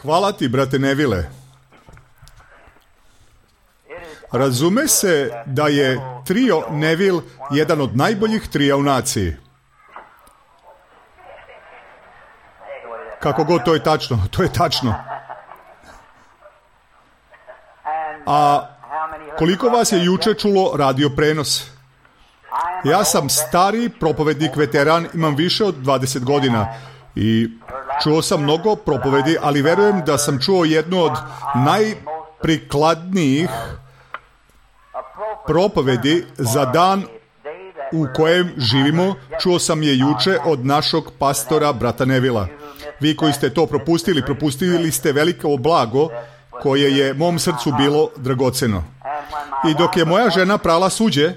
Hvala ti, brate Neville. Razume se da je trio Neville jedan od najboljih trija u naciji. Kako god, to je tačno, to je tačno. A koliko vas je juče čulo radio prenos? Ja sam stari propovednik, veteran, imam više od 20 godina i čuo sam mnogo propovedi, ali verujem da sam čuo jednu od najprikladnijih propovedi za dan u kojem živimo. Čuo sam je juče od našog pastora, brata Nevila. Vi koji ste to propustili ste veliko blago koje je mom srcu bilo dragoceno. I dok je moja žena prala suđe,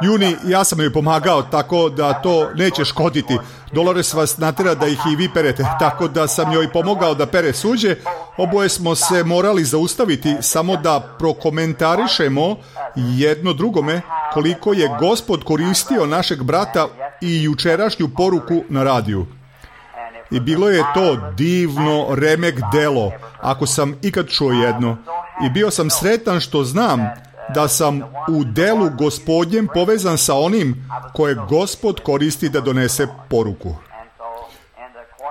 Juni, ja sam joj pomagao, tako da to neće škoditi. Dolores vas natera da ih i vi perete, tako da sam joj pomogao da pere suđe. Oboje smo se morali zaustaviti samo da prokomentarišemo jedno drugome koliko je Gospod koristio našeg brata i jučerašnju poruku na radiju. I bilo je to divno remek delo, ako sam ikad čuo jedno. I bio sam sretan što znam da sam u delu Gospodnjem povezan sa onim koje Gospod koristi da donese poruku.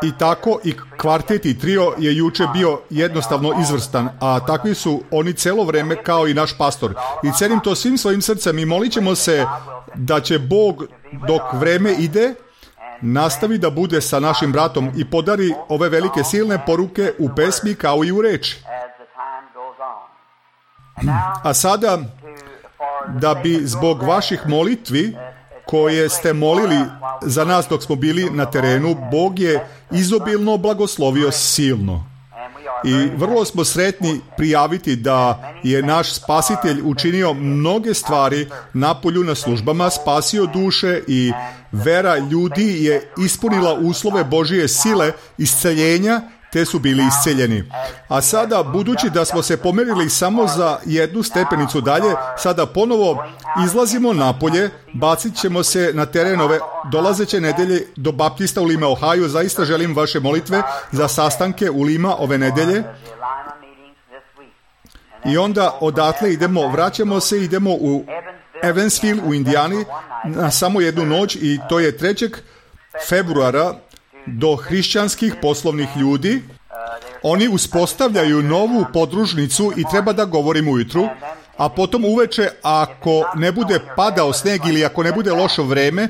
I tako i kvartet i trio je juče bio jednostavno izvrstan, a takvi su oni celo vreme kao i naš pastor. I cenim to svim svojim srcem i molit ćemo se da će Bog, dok vreme ide, nastavi da bude sa našim bratom i podari ove velike silne poruke u pesmi kao i u reči. A sada, da bi zbog vaših molitvi koje ste molili za nas dok smo bili na terenu, Bog je izobilno blagoslovio silno. I vrlo smo sretni prijaviti da je naš spasitelj učinio mnoge stvari napolju na službama, spasio duše i vera ljudi je ispunila uslove Božije sile isceljenja, te su bili isceljeni. A sada, budući da smo se pomerili samo za jednu stepenicu dalje, sada ponovo izlazimo napolje, bacit ćemo se na teren ove dolazeće nedelje do Baptista u Lima, Ohio. Zaista želim vaše molitve za sastanke u Lima ove nedelje. I onda odatle vraćamo se, idemo u Evansville u Indijani na samo jednu noć i to je 3. februara do hrišćanskih poslovnih ljudi. Oni uspostavljaju novu podružnicu i treba da govorim ujutru, a potom uveče ako ne bude padao sneg ili ako ne bude loše vreme,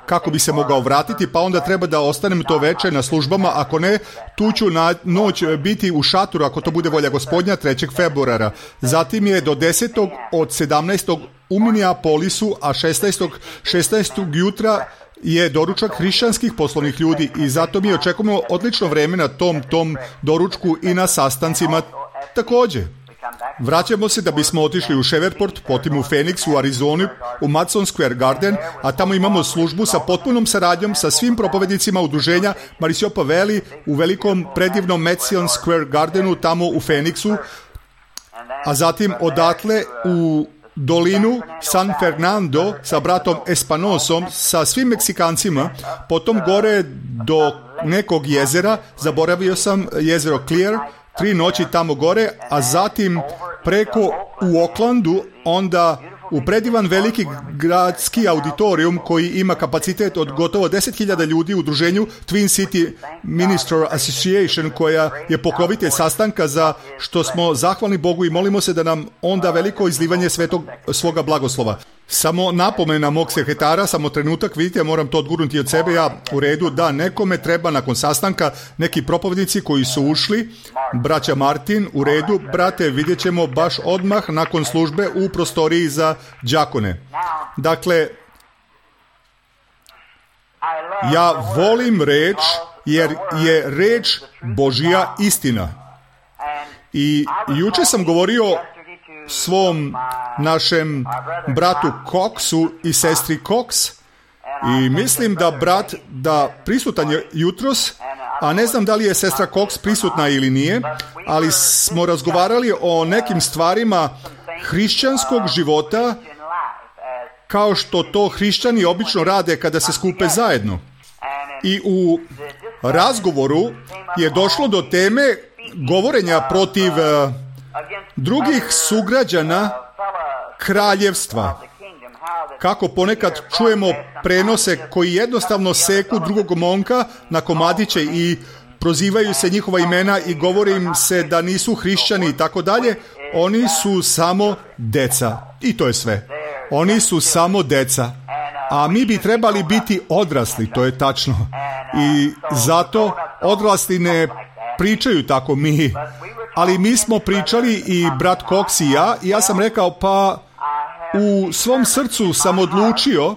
kako bi se mogao vratiti, pa onda treba da ostanem to veče na službama, ako ne, tu ću na noć biti u šatoru ako to bude volja Gospodnja 3. februara. Zatim je do 10. od 17. u Minneapolisu, a 16. jutra je doručak hrišćanskih poslovnih ljudi i zato mi očekujemo odlično vreme na tom doručku i na sastancima također. Vraćamo se da bismo otišli u Shreveport, potom u Phoenix, u Arizonu, u Madison Square Garden, a tamo imamo službu sa potpunom saradnjom sa svim propovednicima udruženja Marisiopa Valley u velikom predivnom Madison Square Gardenu tamo u Phoenixu, a zatim odatle u dolinu San Fernando sa bratom Espanosom, sa svim Meksikancima, potom gore do nekog jezera, zaboravio sam jezero Clear, 3 noći tamo gore, a zatim preko u Oaklandu, onda u predivan veliki gradski auditorijum koji ima kapacitet od gotovo 10.000 ljudi u udruženju Twin City Minister Association, koja je pokrovitelj sastanka, za što smo zahvalni Bogu i molimo se da nam onda veliko izlivanje svoga blagoslova. Samo napomena mog sekretara, samo trenutak, vidite, moram to odgurnuti od sebe, ja u redu, da nekome treba nakon sastanka neki propovednici koji su ušli, braća Martin, u redu, brate, vidjet ćemo baš odmah nakon službe u prostoriji za đakone. Dakle, ja volim reč, jer je reč Božja istina. I juče sam govorio svom našem bratu Coxu i sestri Cox i mislim da brat prisutan je jutros, a ne znam da li je sestra Cox prisutna ili nije, ali smo razgovarali o nekim stvarima hrišćanskog života kao što to hrišćani obično rade kada se skupe zajedno. I u razgovoru je došlo do teme govorenja protiv drugih sugrađana kraljevstva. Kako ponekad čujemo prenose koji jednostavno seku drugog momka na komadiće i prozivaju se njihova imena i govori im se da nisu hrišćani i tako dalje. Oni su samo deca. I to je sve. Oni su samo deca. A mi bi trebali biti odrasli, to je tačno. I zato odrasli ne pričaju tako mi. Ali mi smo pričali i brat Cox i ja sam rekao, pa u svom srcu sam odlučio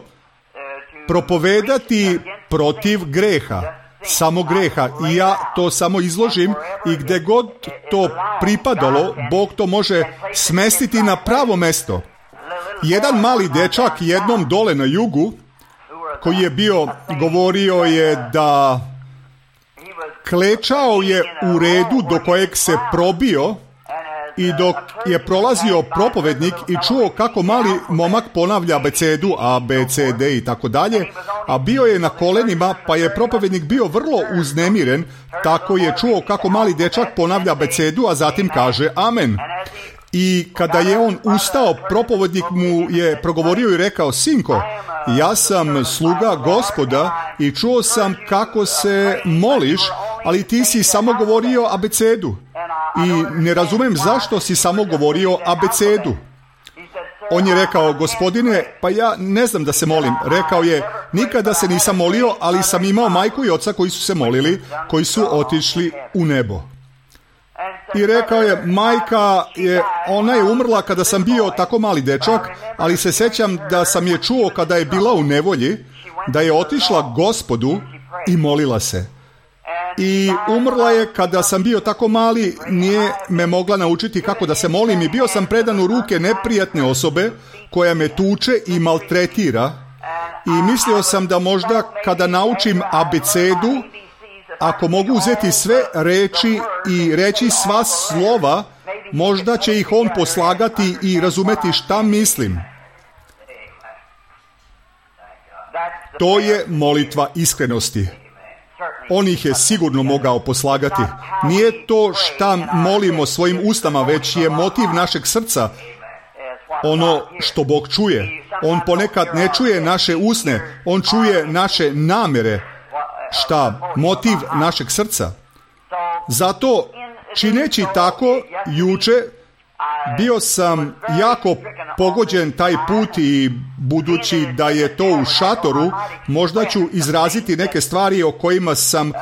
propovedati protiv greha. Samo greha. I ja to samo izložim i gdje god to pripadalo, Bog to može smestiti na pravo mesto. Jedan mali dečak jednom dole na jugu, koji je govorio je da klečao je u redu do kojeg se probio i dok je prolazio propovednik i čuo kako mali momak ponavlja abecedu, A, B, C, D i tako dalje, a bio je na kolenima, pa je propovednik bio vrlo uznemiren, tako je čuo kako mali dečak ponavlja abecedu, a zatim kaže amen. I kada je on ustao, propovednik mu je progovorio i rekao, sinko, ja sam sluga Gospoda i čuo sam kako se moliš, ali ti si samo govorio abecedu. I ne razumem zašto si samo govorio abecedu. On je rekao, gospodine, pa ja ne znam da se molim. Rekao je, nikada se nisam molio, ali sam imao majku i oca koji su se molili, koji su otišli u nebo. I rekao je, majka ona je umrla kada sam bio tako mali dečak, ali se sjećam da sam je čuo kada je bila u nevolji, da je otišla Gospodu i molila se. I umrla je kada sam bio tako mali, nije me mogla naučiti kako da se molim i bio sam predan u ruke neprijatne osobe koja me tuče i maltretira i mislio sam da možda kada naučim abecedu, ako mogu uzeti sve reči i reći sva slova, možda će ih on poslagati i razumeti šta mislim. To je molitva iskrenosti. On ih je sigurno mogao poslagati. Nije to šta molimo svojim ustama, već je motiv našeg srca ono što Bog čuje. On ponekad ne čuje naše usne, on čuje naše namere. Šta? Motiv našeg srca. Zato, čineći tako, juče bio sam jako pogođen taj put i budući da je to u šatoru, možda ću izraziti neke stvari o kojima sam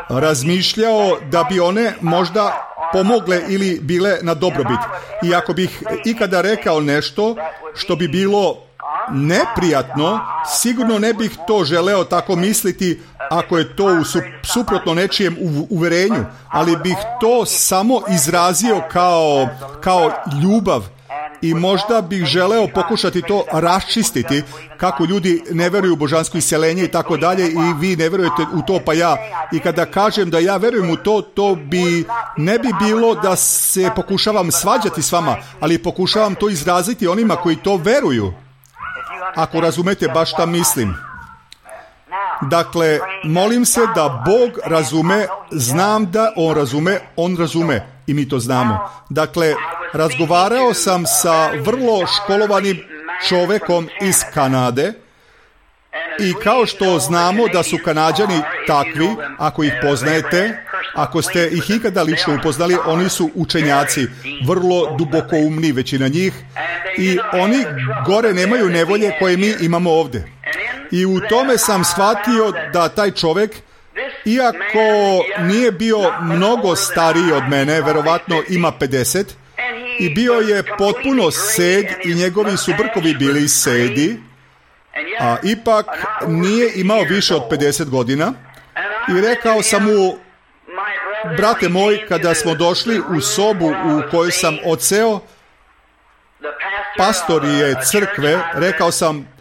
razmišljao da bi one možda pomogle ili bile na dobrobit. I ako bih ikada rekao nešto što bi bilo neprijatno, sigurno ne bih to želeo tako misliti ako je to suprotno nečijem uverenju, ali bih to samo izrazio kao ljubav i možda bih želeo pokušati to raščistiti kako ljudi ne veruju u božansko isceljenje i tako dalje i vi ne verujete u to pa ja. I kada kažem da ja verujem u to, ne bi bilo da se pokušavam svađati s vama, ali pokušavam to izraziti onima koji to veruju. Ako razumete baš šta mislim. Dakle, molim se da Bog razume, znam da On razume i mi to znamo. Dakle, razgovarao sam sa vrlo školovanim čovekom iz Kanade i kao što znamo da su Kanađani takvi, ako ih poznajete, ako ste ih ikada lično upoznali, oni su učenjaci, vrlo dubokoumni većina njih i oni gore nemaju nevolje koje mi imamo ovdje. I u tome sam shvatio da taj čovjek, iako nije bio mnogo stariji od mene, verovatno ima 50, i bio je potpuno sed i njegovi su brkovi bili sedi, a ipak nije imao više od 50 godina. I rekao sam mu, brate moj, kada smo došli u sobu u kojoj sam odseo, pastor je crkve, rekao sam,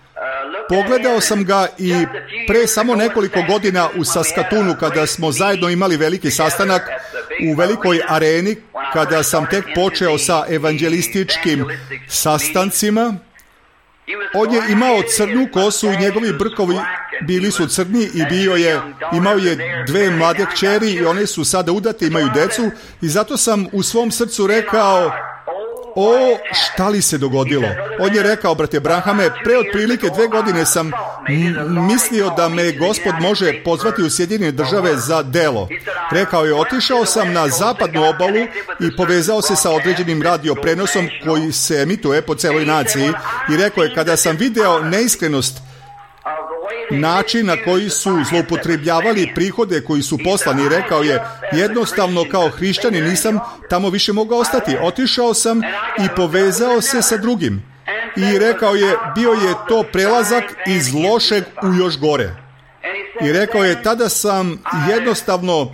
pogledao sam ga i pre samo nekoliko godina u Saskatoonu kada smo zajedno imali veliki sastanak u velikoj areni, kada sam tek počeo sa evanđelističkim sastancima, on je imao crnu kosu i njegovi brkovi bili su crni i imao je 2 mlade kćeri i one su sada udate, imaju decu i zato sam u svom srcu rekao, šta li se dogodilo? On je rekao, brate Branhame, pre otprilike 2 godine sam mislio da me Gospod može pozvati u Sjedinjene Države za delo. Rekao je, otišao sam na zapadnu obalu i povezao se sa određenim radioprenosom koji se emituje po celoj naciji i rekao je, kada sam video neiskrenost, način na koji su zloupotrebljavali prihode koji su poslani, rekao je, jednostavno kao hrišćanin nisam tamo više mogao ostati. Otišao sam i povezao se sa drugim. I rekao je, bio je to prelazak iz lošeg u još gore. I rekao je, tada sam jednostavno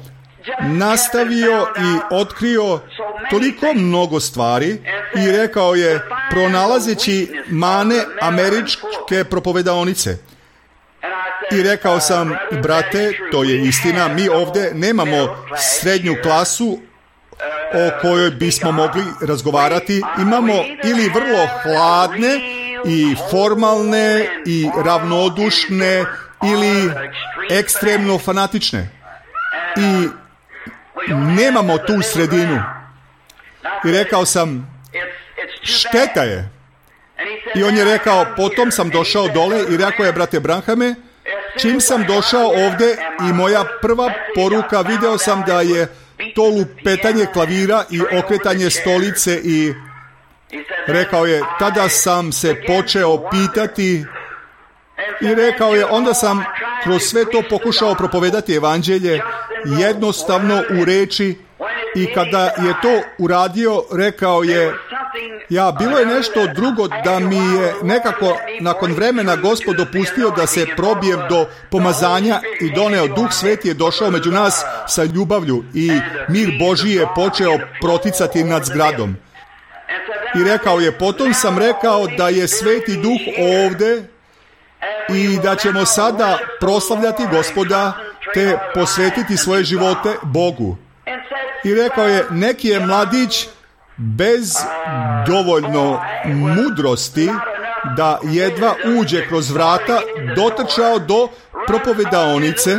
nastavio i otkrio toliko mnogo stvari i rekao je, pronalazeći mane američke propovedaonice. I rekao sam, brate, to je istina, mi ovdje nemamo srednju klasu o kojoj bismo mogli razgovarati. Imamo ili vrlo hladne i formalne i ravnodušne ili ekstremno fanatične. I nemamo tu sredinu. I rekao sam, šteta je. I on je rekao, potom sam došao dole i rekao je, brate Branhame, čim sam došao ovdje i moja prva poruka, video sam da je to lupetanje klavira i okretanje stolice i rekao je, tada sam se počeo pitati i rekao je, onda sam kroz sve to pokušao propovedati evanđelje jednostavno u reči i kada je to uradio, rekao je, bilo je nešto drugo da mi je nekako nakon vremena Gospod dopustio da se probijem do pomazanja i doneo Duh Sveti je došao među nas sa ljubavlju i mir Božji je počeo proticati nad zgradom. I rekao je, potom sam rekao da je Sveti Duh ovde i da ćemo sada proslavljati Gospoda te posvetiti svoje živote Bogu. I rekao je, neki je mladić bez dovoljno mudrosti da jedva uđe kroz vrata dotrčao do propovedaonice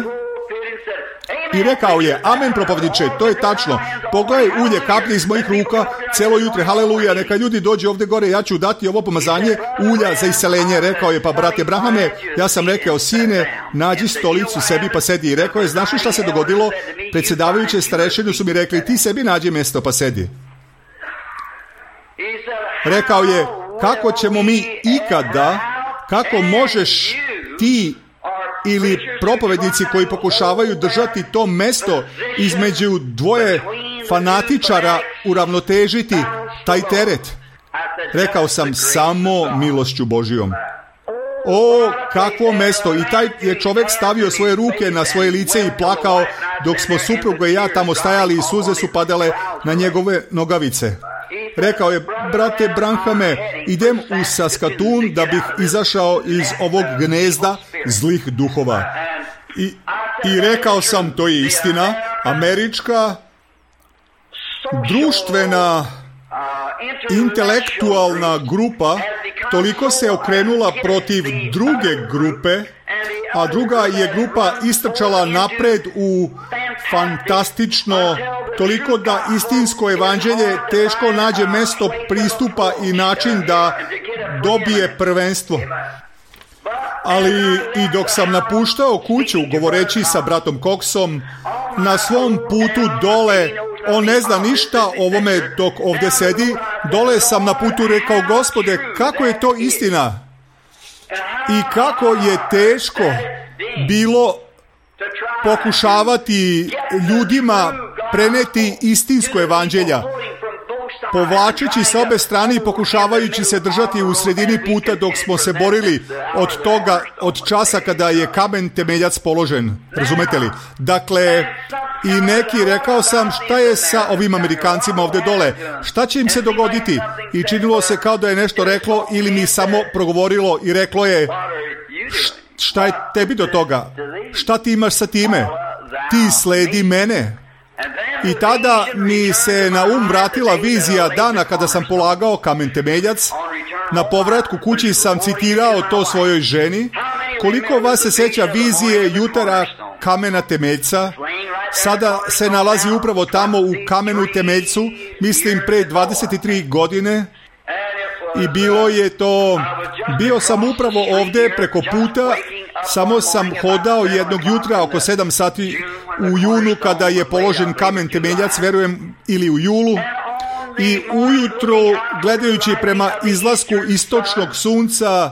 i rekao je, amen propovjedniče, to je tačno, pogledaj, ulje kaplje iz mojih ruka celo jutre, haleluja, neka ljudi dođu ovdje gore, ja ću dati ovo pomazanje ulja za iseljenje. Rekao je, pa brate Brahame, ja sam rekao, sine, nađi stolicu sebi pa sedi. I rekao je, znaš li šta se dogodilo? Predsjedavajuće starešine su mi rekli, ti sebi nađi mjesto pa sedi. Rekao je, kako ćemo mi ikada, kako možeš ti ili propovednici koji pokušavaju držati to mesto između dvoje fanatičara uravnotežiti taj teret? Rekao sam, samo milošću Božijom. Kakvo mesto! I taj je čovjek stavio svoje ruke na svoje lice i plakao dok smo supruga i ja tamo stajali i suze su padale na njegove nogavice. Rekao je, brate Branhame, idem u Saskatoon da bih izašao iz ovog gnezda zlih duhova. I rekao sam, to je istina, američka društvena intelektualna grupa toliko se okrenula protiv druge grupe, a druga je grupa istrčala napred u fantastično, toliko da istinsko evanđelje teško nađe mesto pristupa i način da dobije prvenstvo. Ali i dok sam napuštao kuću, govoreći sa bratom Coxom, na svom putu dole, on ne zna ništa o ovome dok ovdje sedi, dole sam na putu rekao, Gospode, kako je to istina? I kako je teško bilo pokušavati ljudima preneti istinsko evanđelja, povlačeći s obe strane i pokušavajući se držati u sredini puta dok smo se borili od časa kada je kamen temeljac položen. Razumete li? Dakle, i neki, rekao sam, šta je sa ovim Amerikancima ovdje dole? Šta će im se dogoditi? I činilo se kao da je nešto reklo ili mi samo progovorilo i reklo je, šta je tebi do toga? Šta ti imaš sa time? Ti sledi mene. I tada mi se na vratila vizija dana kada sam polagao kamen temeljac. Na povratku kući sam citirao to svojoj ženi. Koliko vas se sjeća vizije jutara kamena temeljca? Sada se nalazi upravo tamo u kamenu temeljcu, mislim pre 23 godine. I bilo je to, bio sam upravo ovdje preko puta, samo sam hodao jednog jutra oko 7 sati u junu kada je položen kamen temeljac, verujem, ili u julu. I ujutro, gledajući prema izlasku istočnog sunca,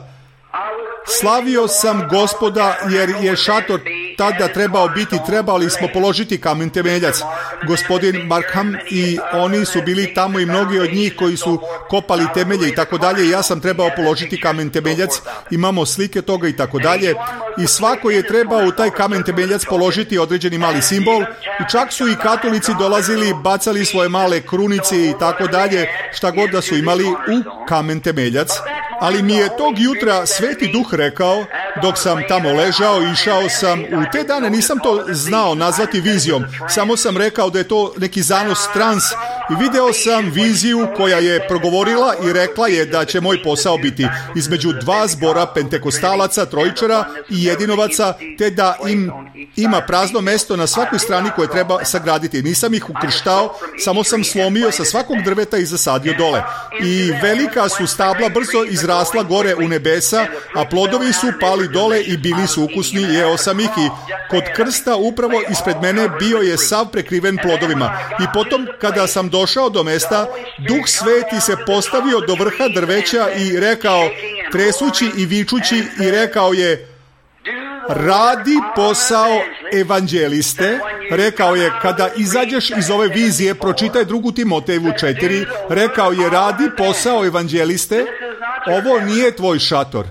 slavio sam Gospoda jer je šator tada trebali smo položiti kamen temeljac. Gospodin Markham i oni su bili tamo i mnogi od njih koji su kopali temelje i tako dalje. Ja sam trebao položiti kamen temeljac, imamo slike toga i tako dalje. I svako je trebao u taj kamen temeljac položiti određeni mali simbol. I čak su i katolici dolazili, bacali svoje male krunice i tako dalje, šta god da su imali u kamen temeljac. Ali mi je tog jutra Sveti Duh rekao, dok sam tamo ležao, išao sam, u te dane nisam to znao nazvati vizijom, samo sam rekao da je to neki zanos trans i video sam viziju koja je progovorila i rekla je da će moj posao biti između dva zbora pentekostalaca, trojičara i jedinovaca, te da ima prazno mesto na svakoj strani koje treba sagraditi. Nisam ih ukrštao, samo sam slomio sa svakog drveta i zasadio dole. I velika su stabla brzo izrasla gore u nebesa, a plodovi su pali dole i bili su ukusni, jeo sam ih i kod krsta upravo ispred mene bio je sav prekriven plodovima. I potom kada sam došao do mesta, Duh Sveti se postavio do vrha drveća i rekao, tresući i vičući, i rekao je, radi posao evanđeliste. Rekao je, kada izađeš iz ove vizije, pročitaj 2. Timotejevu 4, rekao je, radi posao evanđeliste, ovo nije tvoj šator.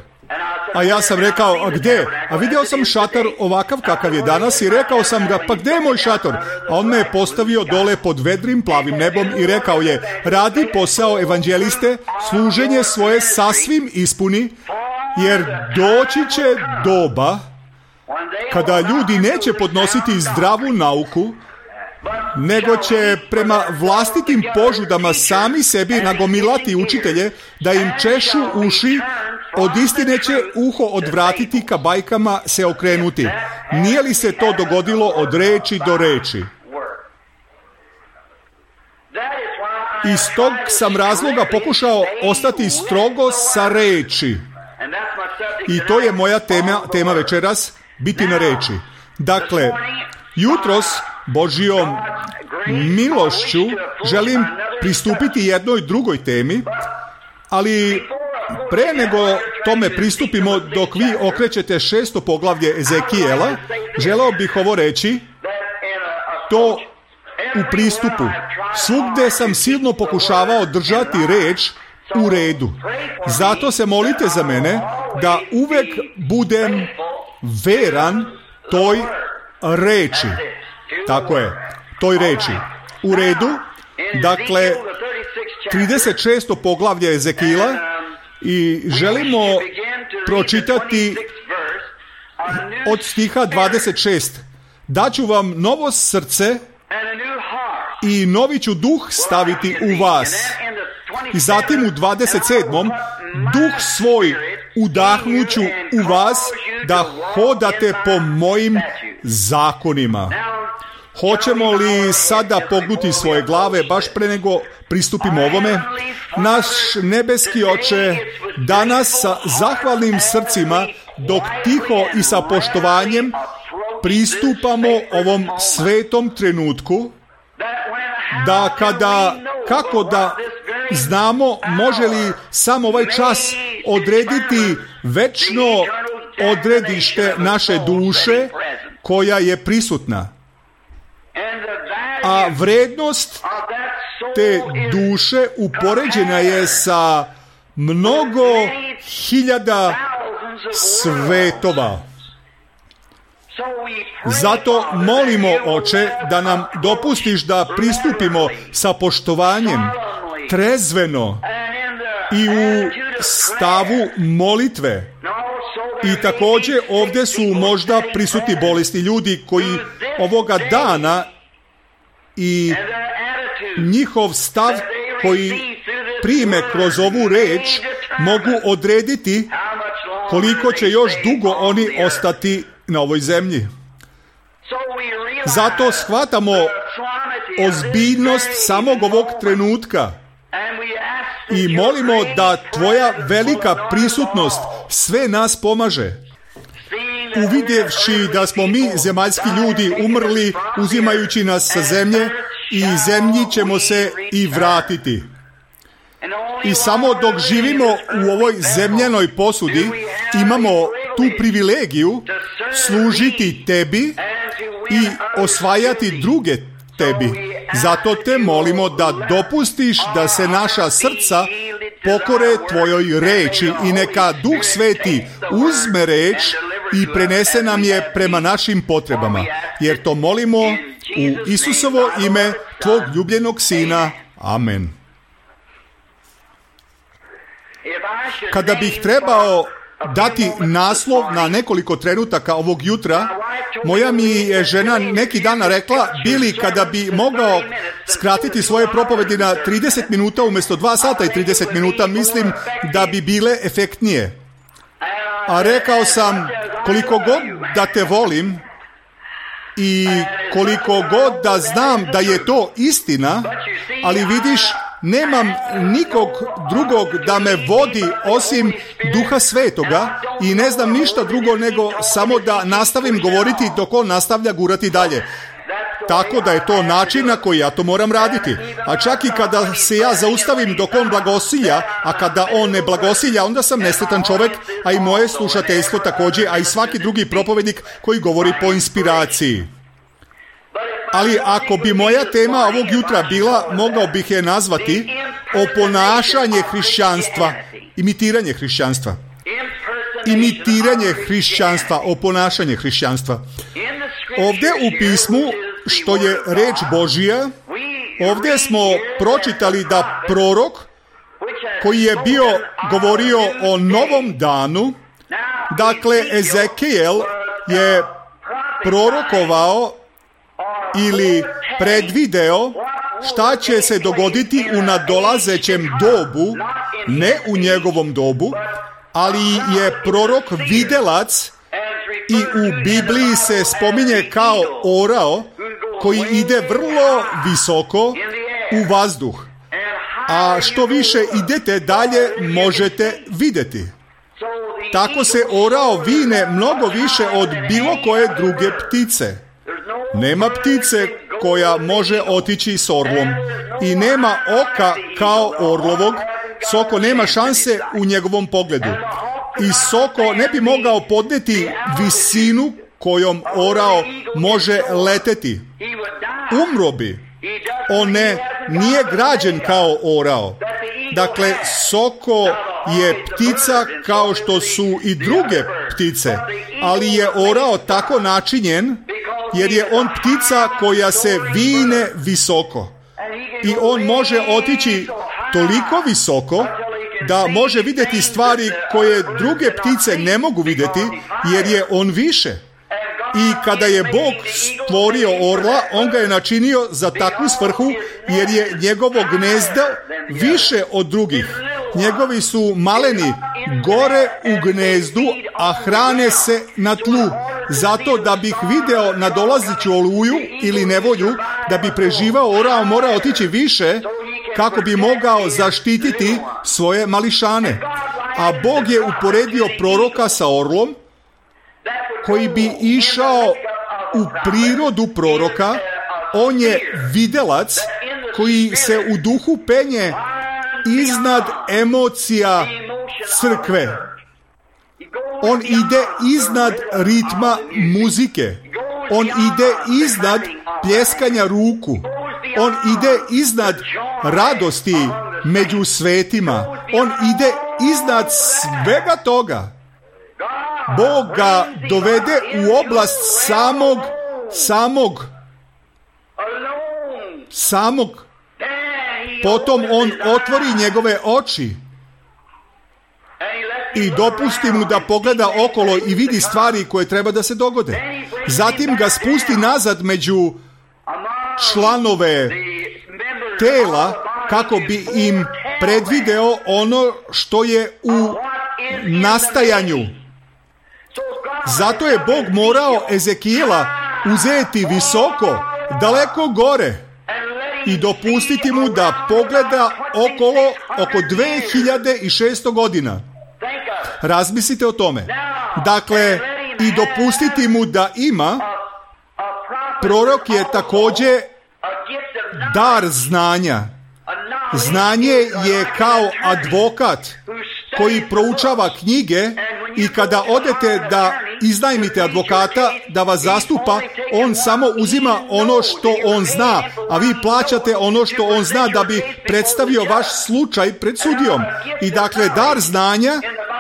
A ja sam rekao, a gde? A vidio sam šator ovakav kakav je danas i rekao sam ga, pa gde je moj šator? A on me je postavio dole pod vedrim plavim nebom i rekao je, radi posao evanđeliste, služenje svoje sasvim ispuni, jer doći će doba kada ljudi neće podnositi zdravu nauku, nego će prema vlastitim požudama sami sebi nagomilati učitelje da im češu uši, od istine će uho odvratiti, ka bajkama se okrenuti. Nije li se to dogodilo od reči do reči? Iz tog sam razloga pokušao ostati strogo sa reči. I to je moja tema večeras, biti na reči. Dakle, jutros Božjom milošću želim pristupiti jednoj drugoj temi, ali pre nego tome pristupimo, dok vi okrećete 6. poglavlje Ezekijela, želeo bih ovo reći, to u pristupu. Svugde sam silno pokušavao držati reč u redu. Zato se molite za mene da uvek budem veran toj reči. Tako je, toj reči. U redu, dakle, 36. poglavlje Ezekijela i želimo pročitati od stiha 26. Daću vam novo srce i novi ću duh staviti u vas. I zatim u 27. duh svoj udahnuću u vas da hodate po mojim zakonima. Hoćemo li sada pognuti svoje glave baš pre nego pristupimo ovome? Naš nebeski Oče, danas sa zahvalnim srcima, dok tiho i sa poštovanjem pristupamo ovom svetom trenutku, da kako da znamo može li sam ovaj čas odrediti večno odredište naše duše koja je prisutna. A vrednost te duše upoređena je sa mnogo hiljada svetova. Zato molimo, Oče, da nam dopustiš da pristupimo sa poštovanjem, trezveno i u stavu molitve. I također ovdje su možda prisutni bolesni ljudi koji ovoga dana i njihov stav koji prime kroz ovu reč mogu odrediti koliko će još dugo oni ostati na ovoj zemlji. Zato shvatamo ozbiljnost samog ovog trenutka i molimo da tvoja velika prisutnost sve nas pomaže. Uvidjevši da smo mi zemaljski ljudi umrli uzimajući nas sa zemlje i zemlji ćemo se i vratiti. I samo dok živimo u ovoj zemljanoj posudi imamo tu privilegiju služiti tebi i osvajati druge tebi. Zato te molimo da dopustiš da se naša srca pokore tvojoj reči i neka Duh Sveti uzme reč i prenese nam je prema našim potrebama. Jer to molimo u Isusovo ime, tvog ljubljenog Sina. Amen. Kada bih trebao dati naslov na nekoliko trenutaka ovog jutra, moja mi je žena neki dan rekla, Bili, kada bi mogao skratiti svoje propovedi na 30 minuta umjesto 2 sata i 30 minuta, mislim da bi bile efektnije. A rekao sam, koliko god da te volim i koliko god da znam da je to istina, ali vidiš, nemam nikog drugog da me vodi osim Duha Svetoga i ne znam ništa drugo nego samo da nastavim govoriti dok on nastavlja gurati dalje. Tako da je to način na koji ja to moram raditi. A čak i kada se ja zaustavim dok on blagosilja, a kada on ne blagosilja, onda sam nesretan čovjek, a i moje slušateljstvo također, a i svaki drugi propovednik koji govori po inspiraciji. Ali ako bi moja tema ovog jutra bila, mogao bih je nazvati oponašanje hrišćanstva, imitiranje hrišćanstva. Imitiranje hrišćanstva, oponašanje hrišćanstva. Ovdje u pismu, što je reč Božija, ovdje smo pročitali da prorok koji je govorio o novom danu, dakle Ezekijel je prorokovao ili predvideo šta će se dogoditi u nadolazećem dobu, ne u njegovom dobu, ali je prorok videlac i u Bibliji se spominje kao orao koji ide vrlo visoko u vazduh. A što više idete dalje možete vidjeti. Tako se orao vine mnogo više od bilo koje druge ptice. Nema ptice koja može otići s orlom i nema oka kao orlovog. Soko nema šanse u njegovom pogledu. I soko ne bi mogao podnijeti visinu kojom orao može leteti. Umro bi. On nije građen kao orao. Dakle, soko je ptica kao što su i druge ptice, ali je orao tako načinjen jer je on ptica koja se vine visoko. I on može otići toliko visoko da može vidjeti stvari koje druge ptice ne mogu vidjeti jer je on više. I kada je Bog stvorio orla, on ga je načinio za takvu svrhu jer je njegovo gnezdo više od drugih. Njegovi su maleni gore u gnezdu, a hrane se na tlu. Zato da bih video nadolazeću oluju ili nevolju, da bi preživao orao mora otići više kako bi mogao zaštititi svoje mališane. A Bog je uporedio proroka sa orlom koji bi išao u prirodu proroka. On je videlac koji se u duhu penje iznad emocija crkve. On ide iznad ritma muzike. On ide iznad pljeskanja ruku. On ide iznad radosti među svetima. On ide iznad svega toga. Bog ga dovede u oblast samog. Potom on otvori njegove oči i dopusti mu da pogleda okolo i vidi stvari koje treba da se dogode. Zatim ga spusti nazad među članove tela kako bi im predvideo ono što je u nastajanju. Zato je Bog morao Ezekijela uzeti visoko, daleko gore i dopustiti mu da pogleda okolo oko 2600 godina. Razmislite o tome. Dakle, i dopustiti mu da ima, prorok je također dar znanja. Znanje je kao advokat koji proučava knjige i kada odete da iznajmite advokata da vas zastupa, on samo uzima ono što on zna, a vi plaćate ono što on zna da bi predstavio vaš slučaj pred sudijom. I dakle, dar znanja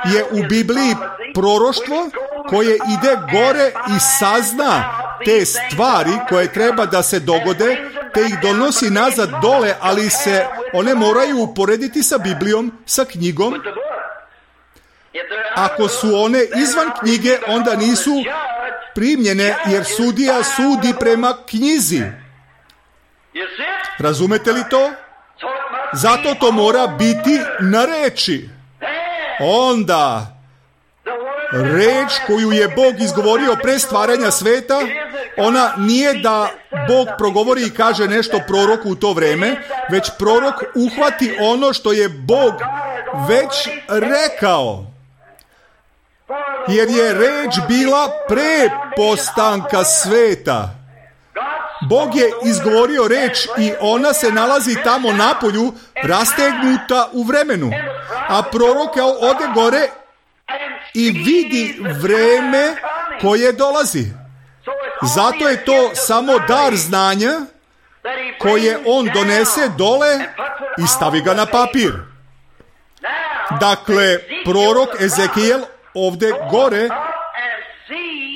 je u Bibliji proroštvo koje ide gore i sazna te stvari koje treba da se dogode, te ih donosi nazad dole, ali se one moraju uporediti sa Biblijom, sa knjigom. Ako su one izvan knjige, onda nisu primljene, jer sudija sudi prema knjizi. Razumete li to? Zato to mora biti na reči. Onda reč koju je Bog izgovorio pre stvaranja sveta, ona nije da Bog progovori i kaže nešto proroku u to vreme, već prorok uhvati ono što je Bog već rekao. Jer je reč bila pre postanka sveta. Bog je izgovorio reč i ona se nalazi tamo napolju, rastegnuta u vremenu. A prorok ode gore i vidi vreme koje dolazi. Zato je to samo dar znanja koje on donese dole i stavi ga na papir. Dakle, prorok Ezekijel ovdje gore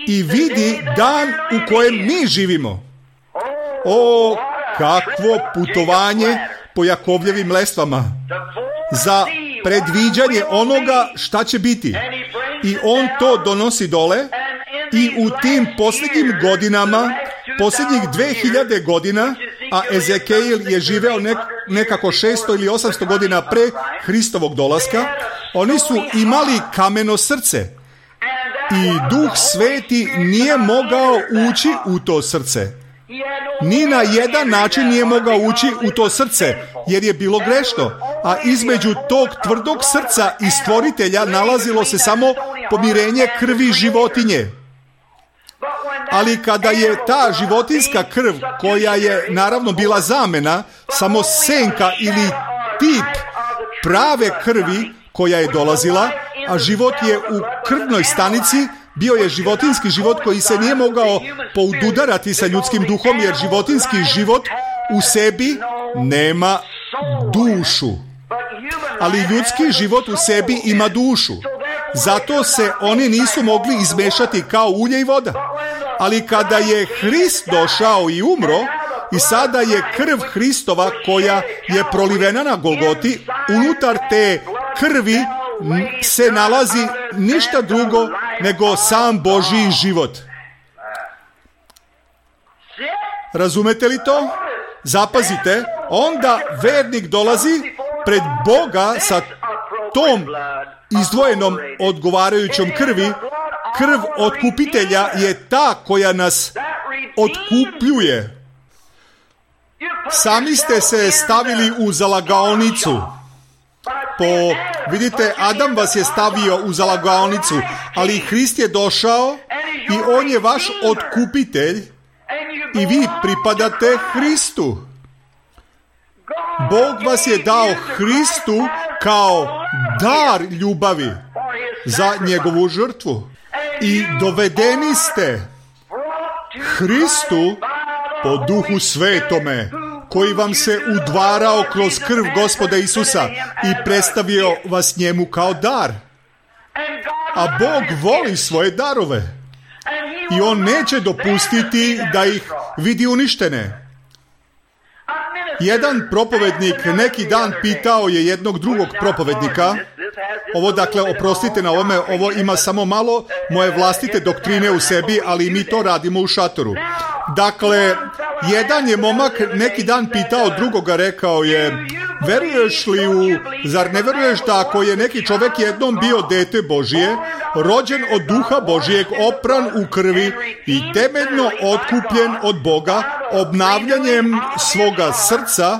i vidi dan u kojem mi živimo. O, kakvo putovanje po Jakovljevim lestvama za predviđanje onoga šta će biti. I on to donosi dole i u tim posljednjim godinama, posljednjih 2000 godina, a Ezekijel je živeo nekako 600 ili 800 godina pre Hristovog dolaska, oni su imali kameno srce i Duh Sveti nije mogao ući u to srce. Ni na jedan način nije mogao ući u to srce, jer je bilo grešno. A između tog tvrdog srca i stvoritelja nalazilo se samo pomirenje krvi životinje. Ali kada je ta životinska krv, koja je naravno bila zamena, samo senka ili tip prave krvi koja je dolazila, a život je u krvnoj stanici, bio je životinski život koji se nije mogao poududarati sa ljudskim duhom, jer životinski život u sebi nema dušu. Ali ljudski život u sebi ima dušu. Zato se oni nisu mogli izmešati kao ulje i voda. Ali kada je Hrist došao i umro, i sada je krv Hristova koja je prolivena na Golgoti, unutar te krvi se nalazi ništa drugo nego sam Božji život. Razumete li to? Zapazite, onda vernik dolazi pred Boga sa tom izdvojenom odgovarajućom krvi. Krv otkupitelja je ta koja nas otkupljuje. Sami ste se stavili u zalagaonicu. Vidite, Adam vas je stavio u zalagaonicu, ali Hrist je došao i on je vaš otkupitelj i vi pripadate Hristu. Bog vas je dao Hristu kao dar ljubavi za njegovu žrtvu. I dovedeni ste Hristu po Duhu Svetome, koji vam se udvarao kroz krv Gospoda Isusa i predstavio vas njemu kao dar. A Bog voli svoje darove i on neće dopustiti da ih vidi uništene. Jedan propovednik neki dan pitao je jednog drugog propovednika, ovo dakle, oprostite na ovome, ovo ima samo malo moje vlastite doktrine u sebi, ali mi to radimo u šatoru. Dakle, jedan je momak neki dan pitao drugoga, rekao je, Zar ne veruješ da ako je neki čovjek jednom bio dete Božije, rođen od duha Božijeg, opran u krvi i temeljno otkupljen od Boga, obnavljanjem svoga srca,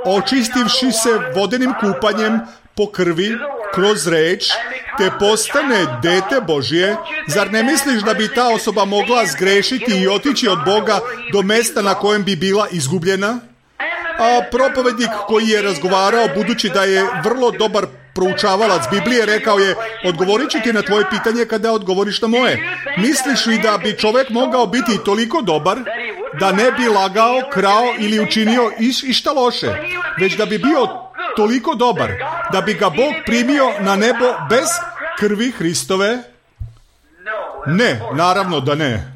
očistivši se vodenim kupanjem po krvi, kroz reč, te postane dete Božije, zar ne misliš da bi ta osoba mogla zgrešiti i otići od Boga do mjesta na kojem bi bila izgubljena? A propovednik koji je razgovarao, budući da je vrlo dobar proučavalac Biblije, rekao je: odgovorit ću ti na tvoje pitanje kada odgovoriš na moje. Misliš li da bi čovjek mogao biti toliko dobar da ne bi lagao, krao ili učinio išta loše, već da bi bio toliko dobar da bi ga Bog primio na nebo bez krvi Hristove? Ne, naravno da ne.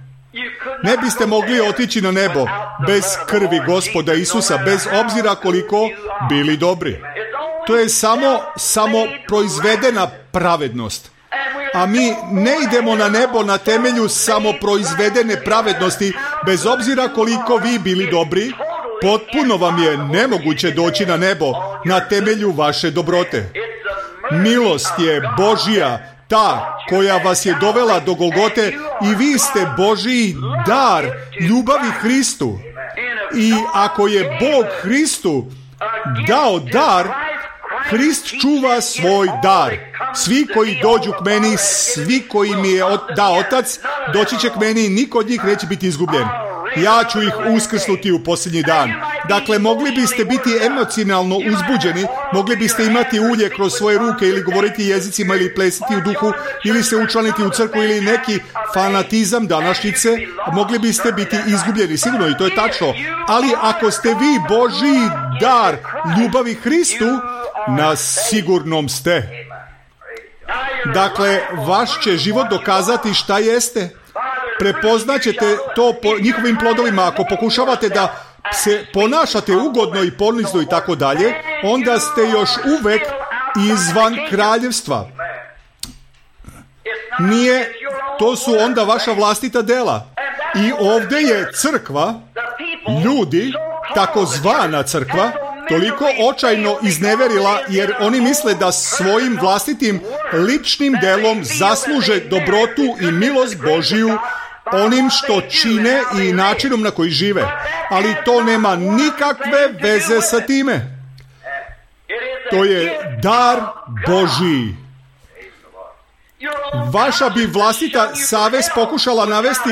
Ne biste mogli otići na nebo bez krvi Gospoda Isusa, bez obzira koliko bili dobri. To je samo proizvedena pravednost. A mi ne idemo na nebo na temelju samoproizvedene pravednosti, bez obzira koliko vi bili dobri. Potpuno vam je nemoguće doći na nebo na temelju vaše dobrote. Milost je Božja, ta koja vas je dovela do Golgote, i vi ste Božji dar ljubavi Hristu. I ako je Bog Hristu dao dar, Hrist čuva svoj dar. Svi koji dođu k meni, svi koji mi je dao Otac, doći će k meni i niko od njih neće biti izgubljen. Ja ću ih uskrsnuti u posljednji dan. Dakle, mogli biste biti emocionalno uzbuđeni, mogli biste imati ulje kroz svoje ruke ili govoriti jezicima ili plesiti u duhu ili se učlaniti u crkvu ili neki fanatizam današnjice, mogli biste biti izgubljeni, sigurno, i to je tačno. Ali ako ste vi Božji dar ljubavi Hristu, na sigurnom ste. Dakle, vaš će život dokazati šta jeste. Prepoznaćete to po njihovim plodovima. Ako pokušavate da se ponašate ugodno i ponizno i tako dalje, onda ste još uvek izvan kraljevstva. To su onda vaša vlastita dela. I ovdje je crkva, ljudi, takozvana crkva, toliko očajno izneverila, jer oni misle da svojim vlastitim ličnim delom zasluže dobrotu i milost Božiju onim što čine i načinom na koji žive. Ali to nema nikakve veze sa time. To je dar Božiji. Vaša bi vlastita savest pokušala navesti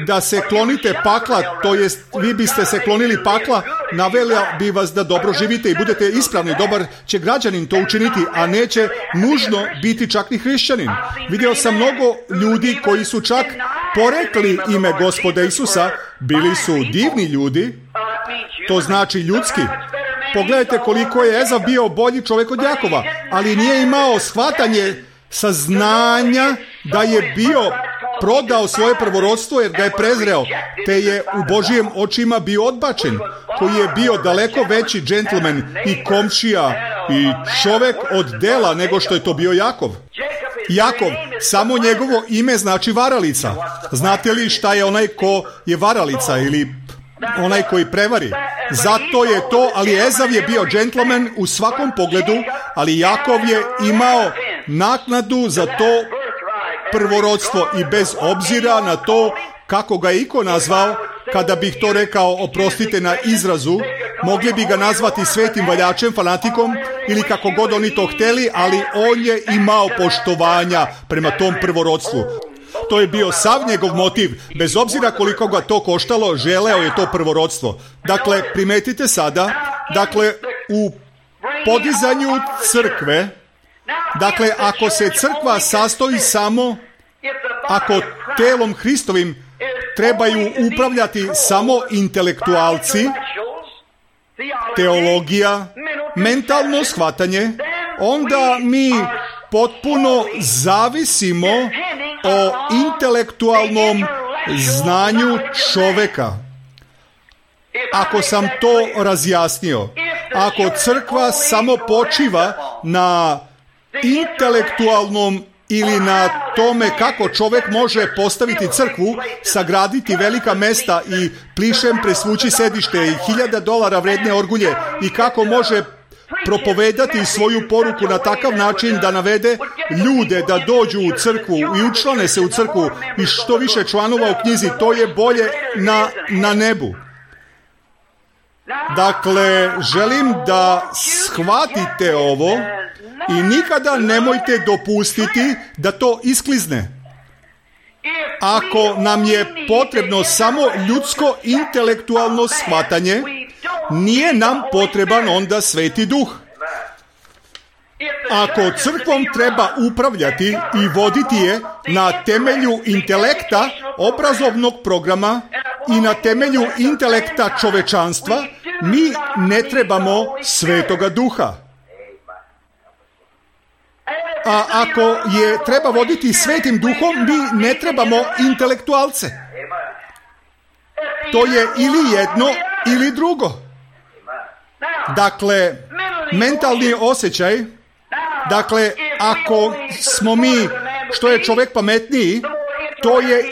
da se klonite pakla, to jest vi biste se klonili pakla, navela bi vas da dobro živite i budete ispravni, dobar će građanin to učiniti, a neće nužno biti čak ni hrišćanin. Vidio sam mnogo ljudi koji su čak porekli ime Gospoda Isusa, bili su divni ljudi, to znači ljudski. Pogledajte koliko je Ezav bio bolji čovjek od Jakova, ali nije imao shvatanje saznanja da je bio prodao svoje prvorodstvo jer ga je prezreo, te je u Božijim očima bio odbačen, koji je bio daleko veći džentlmen i komšija i čovjek od dela nego što je to bio Jakov. Jakov, samo njegovo ime znači varalica. Znate li šta je onaj ko je varalica ili onaj koji prevari? Zato je to, ali Ezav je bio džentlmen u svakom pogledu, ali Jakov je imao naknadu za to prvorodstvo i bez obzira na to kako ga je iko nazvao, kada bih to rekao, oprostite na izrazu, mogli bi ga nazvati svetim valjačem, fanatikom ili kako god oni to hteli, ali on je imao poštovanja prema tom prvorodstvu. To je bio sav njegov motiv, bez obzira koliko ga to koštalo, želeo je to prvorodstvo. Dakle, primetite sada, u podizanju crkve, ako se crkva sastoji samo, ako telom Hristovim trebaju upravljati samo intelektualci, teologija, mentalno shvatanje, onda mi potpuno zavisimo o intelektualnom znanju čoveka. Ako sam to razjasnio, ako crkva samo počiva na intelektualnom ili na tome kako čovjek može postaviti crkvu, sagraditi velika mesta i plišem presvući sedište i $1000 vredne orgulje i kako može propovedati svoju poruku na takav način da navede ljude da dođu u crkvu i učlane se u crkvu i što više članova u knjizi, to je bolje na nebu. Dakle, želim da shvatite ovo i nikada nemojte dopustiti da to isklizne. Ako nam je potrebno samo ljudsko intelektualno shvatanje, nije nam potreban onda Sveti Duh. Ako crkvom treba upravljati i voditi je na temelju intelekta, obrazovnog programa i na temelju intelekta čovečanstva, mi ne trebamo Svetoga Duha. A ako je treba voditi Svetim Duhom, mi ne trebamo intelektualce. To je ili jedno ili drugo. Dakle, mentalni osjećaj, dakle, ako smo mi, što je čovjek pametniji, to je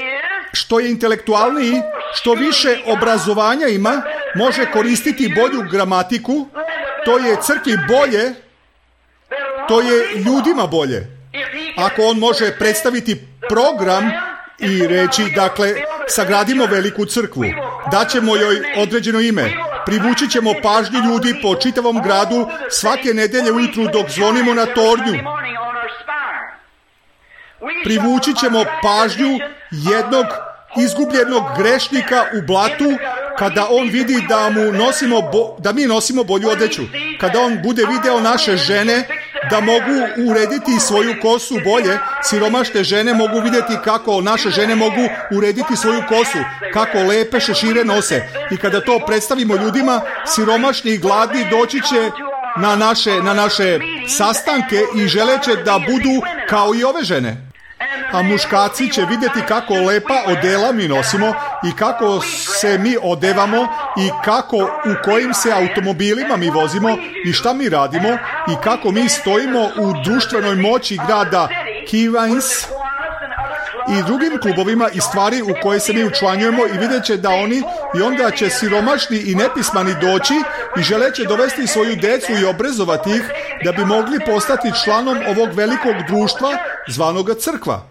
što je intelektualniji, što više obrazovanja ima, može koristiti bolju gramatiku, to je crkvi bolje, to je ljudima bolje. Ako on može predstaviti program i reći, dakle, sagradimo veliku crkvu, daćemo joj određeno ime, privući ćemo pažnju ljudi po čitavom gradu svake nedelje ujutru dok zvonimo na tornju. Privući ćemo pažnju jednog izgubljenog grešnika u blatu kada on vidi da mi nosimo bolju odeću. Kada on bude video naše žene da mogu urediti svoju kosu bolje, siromašne žene mogu vidjeti kako naše žene mogu urediti svoju kosu, kako lepe šešire nose. I kada to predstavimo ljudima, siromašni i gladni doći će na naše sastanke i želeće da budu kao i ove žene. A muškarci će vidjeti kako lepa odela mi nosimo i kako se mi odevamo i u kojim se automobilima mi vozimo i šta mi radimo i kako mi stojimo u društvenoj moći grada Kivans i drugim klubovima i stvari u koje se mi učlanjujemo i vidjet će da oni i onda će siromašni i nepismani doći i želeće dovesti svoju djecu i obrazovati ih da bi mogli postati članom ovog velikog društva zvanoga crkva.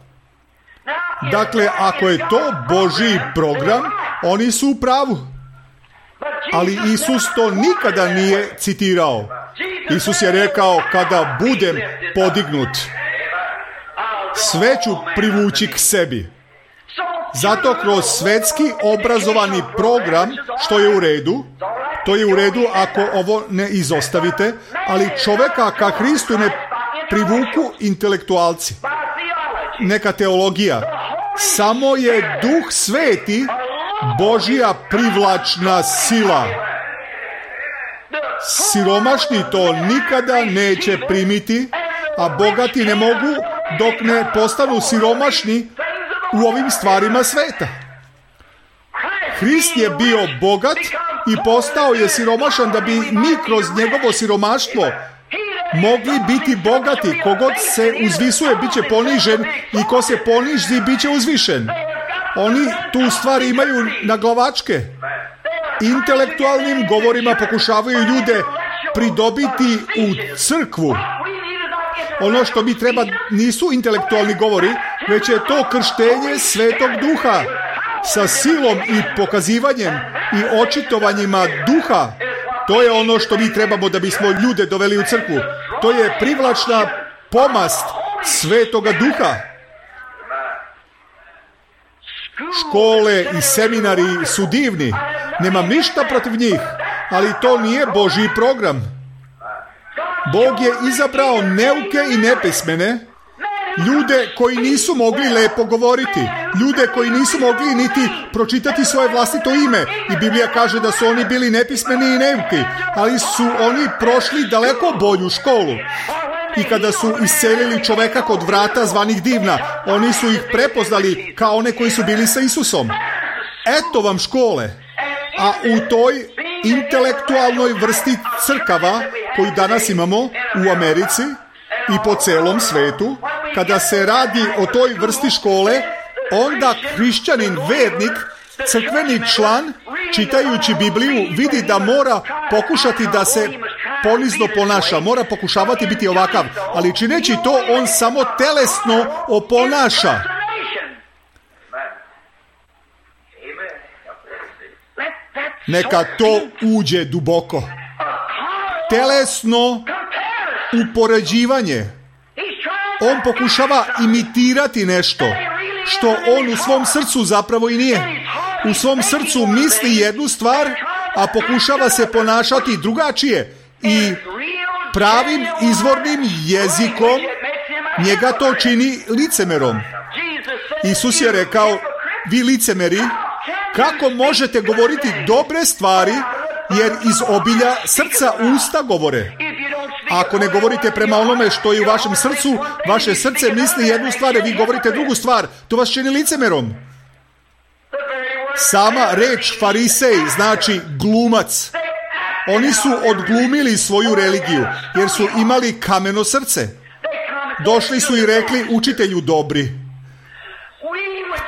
Dakle, ako je to Božji program, oni su u pravu. Ali Isus to nikada nije citirao. Isus je rekao, kada budem podignut, sve ću privući k sebi. Zato kroz svetski obrazovani program, što je u redu, to je u redu ako ovo ne izostavite, ali čovjeka ka Hristu ne privuku intelektualci. Neka teologija. Samo je Duh Sveti Božja privlačna sila. Siromašni to nikada neće primiti, a bogati ne mogu dok ne postanu siromašni u ovim stvarima sveta. Hrist je bio bogat i postao je siromašan da bi mi kroz njegovo siromaštvo mogli biti bogati. Kogod se uzvisuje, bit će ponižen i ko se poniži, bit će uzvišen. Oni tu stvari imaju na glavačke. Intelektualnim govorima pokušavaju ljude pridobiti u crkvu. Ono što mi treba nisu intelektualni govori, već je to krštenje Svetog Duha sa silom i pokazivanjem i očitovanjima Duha. To je ono što mi trebamo da bismo ljude doveli u crkvu. To je privlačna pomast Svetoga Duha. Škole i seminari su divni. Nemam ništa protiv njih, ali to nije Božji program. Bog je izabrao neuke i nepismene, ljude koji nisu mogli lepo govoriti, ljude koji nisu mogli niti pročitati svoje vlastito ime. I Biblija kaže da su oni bili nepismeni i neuki, ali su oni prošli daleko bolju školu. I kada su iscelili čoveka kod vrata zvanih Divna, oni su ih prepoznali kao one koji su bili sa Isusom. Eto vam škole. A u toj intelektualnoj vrsti crkava koju danas imamo u Americi i po celom svetu, kada se radi o toj vrsti škole, onda hrišćanin, vernik, crkveni član, čitajući Bibliju, vidi da mora pokušati da se ponizno ponaša, mora pokušavati biti ovakav, ali čineći to, on samo telesno oponaša. Neka to uđe duboko. Telesno upoređivanje. On pokušava imitirati nešto što on u svom srcu zapravo i nije. U svom srcu misli jednu stvar, a pokušava se ponašati drugačije. I pravim izvornim jezikom njega to čini licemerom. Isus je rekao, vi licemeri, kako možete govoriti dobre stvari, jer iz obilja srca usta govore. Ako ne govorite prema onome što je u vašem srcu, vaše srce misli jednu stvar, a vi govorite drugu stvar. To vas čini licemerom. Sama reč farisej znači glumac. Oni su odglumili svoju religiju, jer su imali kameno srce. Došli su i rekli, učitelju dobri,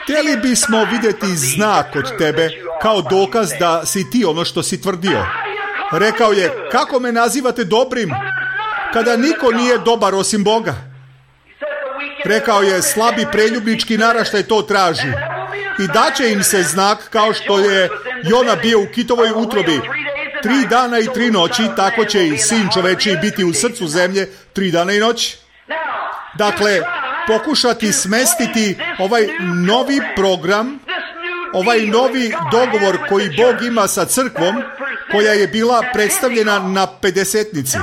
htjeli bismo vidjeti znak od tebe kao dokaz da si ti ono što si tvrdio. Rekao je, kako me nazivate dobrim, kada niko nije dobar osim Boga? Rekao je, slabi preljubnički naraštaj to traži. I daće im se znak kao što je Jona bio u kitovoj utrobi 3 dana i 3 noći, tako će i sin čovečiji biti u srcu zemlje 3 dana i noći. Dakle, pokušati smestiti ovaj novi program, ovaj novi dogovor koji Bog ima sa crkvom, koja je bila predstavljena na pedesetnici.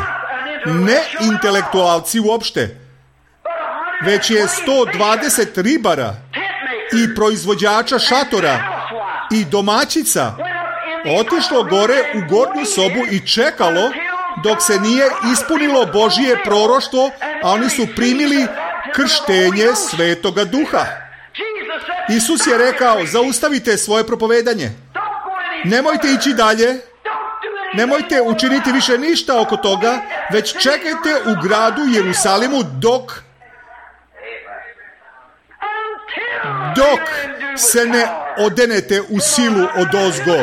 Ne intelektualci uopšte, već je 120 ribara i proizvođača šatora i domaćica otišlo gore u gornju sobu i čekalo dok se nije ispunilo Božije proroštvo, a oni su primili krštenje Svetoga Duha. Isus je rekao, zaustavite svoje propovedanje. Nemojte ići dalje. Nemojte učiniti više ništa oko toga, već čekajte u gradu Jerusalimu dok se ne odenete u silu odozgo.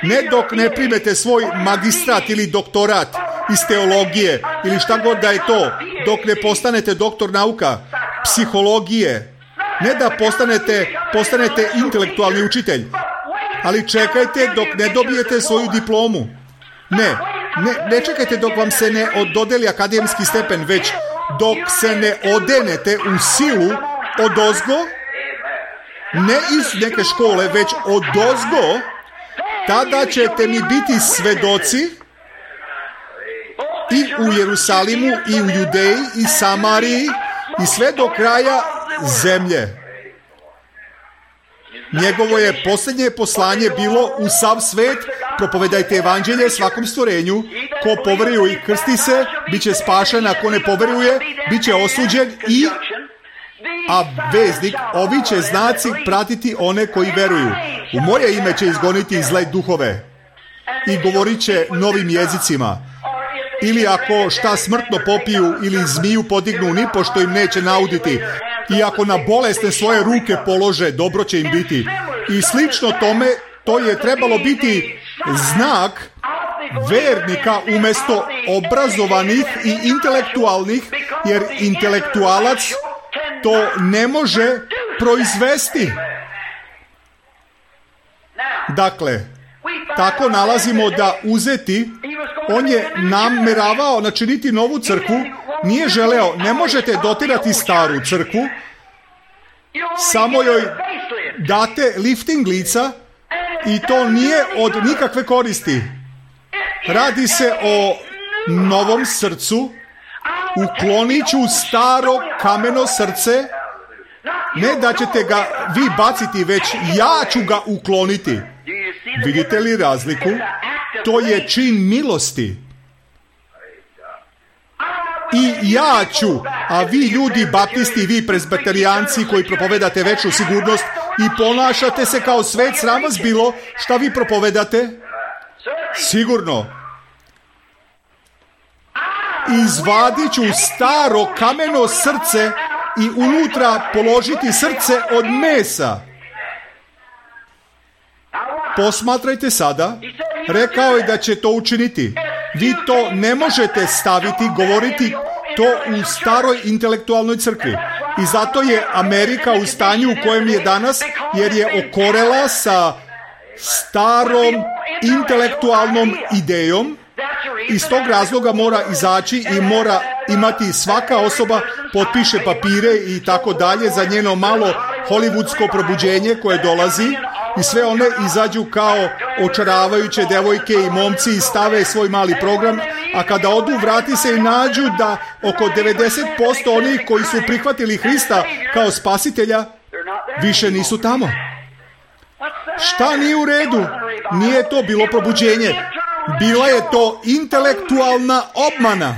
Ne dok ne primete svoj magistrat ili doktorat iz teologije ili šta god da je to, dok ne postanete doktor nauka, psihologije, ne da postanete intelektualni učitelj, ali čekajte dok ne dobijete svoju diplomu. Ne čekajte dok vam se ne dodeli akademski stepen, već dok se ne odenete u silu odozgo, ne iz neke škole, već odozgo, tada ćete mi biti svedoci i u Jerusalimu, i u Judeji, i Samariji, i sve do kraja zemlje. Njegovo je posljednje poslanje bilo u sav svet, propovedajte evanđelje svakom stvorenju, ko poveruje i krsti se, bit će spašen, a ko ne poveruje, bit će osuđen a veznik, ovi će znaci pratiti one koji veruju. U moje ime će izgoniti zle duhove i govorit će novim jezicima. Ili ako šta smrtno popiju ili zmiju podignu, nipošto im neće nauditi. I ako na bolesne svoje ruke polože, dobro će im biti. I slično tome, to je trebalo biti znak vernika umjesto obrazovanih i intelektualnih, jer intelektualac to ne može proizvesti. Dakle, tako nalazimo da uzeti, on je nameravao načiniti novu crkvu, nije želeo, ne možete dotirati staru crkvu, samo joj date lifting lica i to nije od nikakve koristi. Radi se o novom srcu, uklonit ću staro kameno srce, ne da ćete ga vi baciti, već ja ću ga ukloniti. Vidite li razliku? To je čin milosti. I ja ću, a vi ljudi baptisti, vi presbiterijanci koji propovedate večnu sigurnost i ponašate se kao svet, sram vas bilo, šta vi propovedate? Sigurno. Izvadit ću staro kameno srce i unutra položiti srce od mesa. Posmatrajte sada, rekao je da će to učiniti. Vi to ne možete staviti, govoriti to u staroj intelektualnoj crkvi. I zato je Amerika u stanju u kojem je danas, jer je okorela sa starom intelektualnom idejom. Iz tog razloga mora izaći i mora imati svaka osoba, potpiše papire i tako dalje za njeno malo hollywoodsko probuđenje koje dolazi i sve one izađu kao očaravajuće devojke i momci i stave svoj mali program, a kada odu vrati se i nađu da oko 90% onih koji su prihvatili Hrista kao spasitelja više nisu tamo. Šta nije u redu? Nije to bilo probuđenje. Bila je to intelektualna obmana.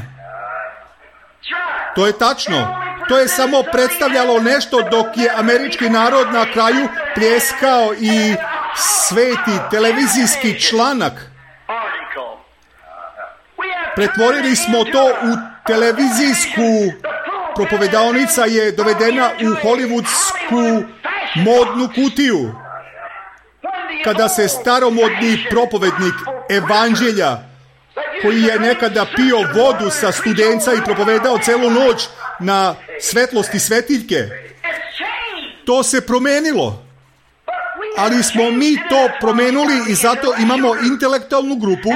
To je tačno. To je samo predstavljalo nešto dok je američki narod na kraju pljeskao i sveti televizijski članak. Pretvorili smo to u televizijsku, propovedaonica je dovedena u hollywoodsku modnu kutiju. Kada se staromodni propovednik evanđelja, koji je nekada pio vodu sa studenca i propovedao celu noć na svetlosti svetiljke, to se promenilo. Ali smo mi to promenuli i zato imamo intelektualnu grupu.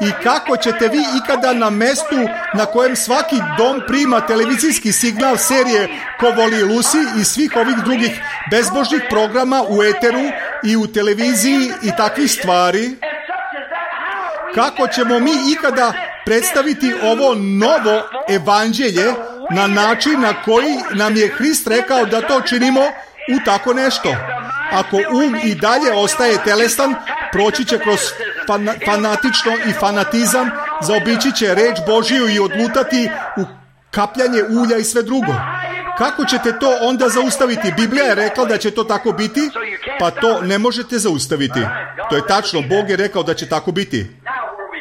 I kako ćete vi ikada na mestu na kojem svaki dom prima televizijski signal serije Ko voli Lusi i svih ovih drugih bezbožnih programa u eteru i u televiziji i takvih stvari, kako ćemo mi ikada predstaviti ovo novo evanđelje na način na koji nam je Hrist rekao da to činimo u tako nešto? Ako i dalje ostaje telesan, proći će kroz fanatično i fanatizam, zaobići će reč Božiju i odlutati u kapljanje ulja i sve drugo. Kako ćete to onda zaustaviti? Biblija je rekla da će to tako biti, pa to ne možete zaustaviti. To je tačno, Bog je rekao da će tako biti.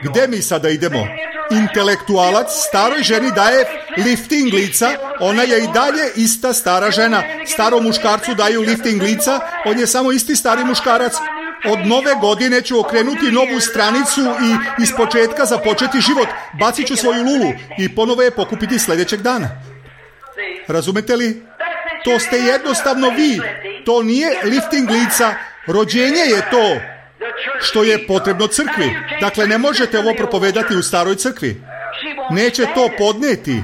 Gde mi sada idemo? Intelektualac staroj ženi daje lifting lica, ona je i dalje ista stara žena. Starom muškarcu daju lifting lica, on je samo isti stari muškarac. Od nove godine ću okrenuti novu stranicu i iz početka započeti život. Bacit ću svoju lulu i ponovo je pokupiti sljedećeg dana. Razumete li? To ste jednostavno vi. To nije lifting lica. Rođenje je to što je potrebno crkvi. Dakle, ne možete ovo propovedati u staroj crkvi. Neće to podneti.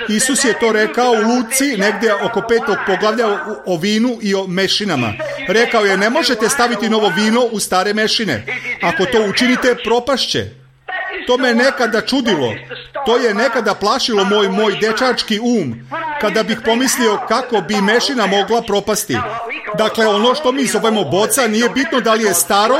Isus je to rekao u Luci, negdje oko 5. poglavlja o vinu i o mešinama. Rekao je, ne možete staviti novo vino u stare mešine. Ako to učinite, propašće. To me nekada čudilo. To je nekada plašilo moj dečački kada bih pomislio kako bi mešina mogla propasti. Dakle, ono što mi zovemo boca nije bitno da li je staro,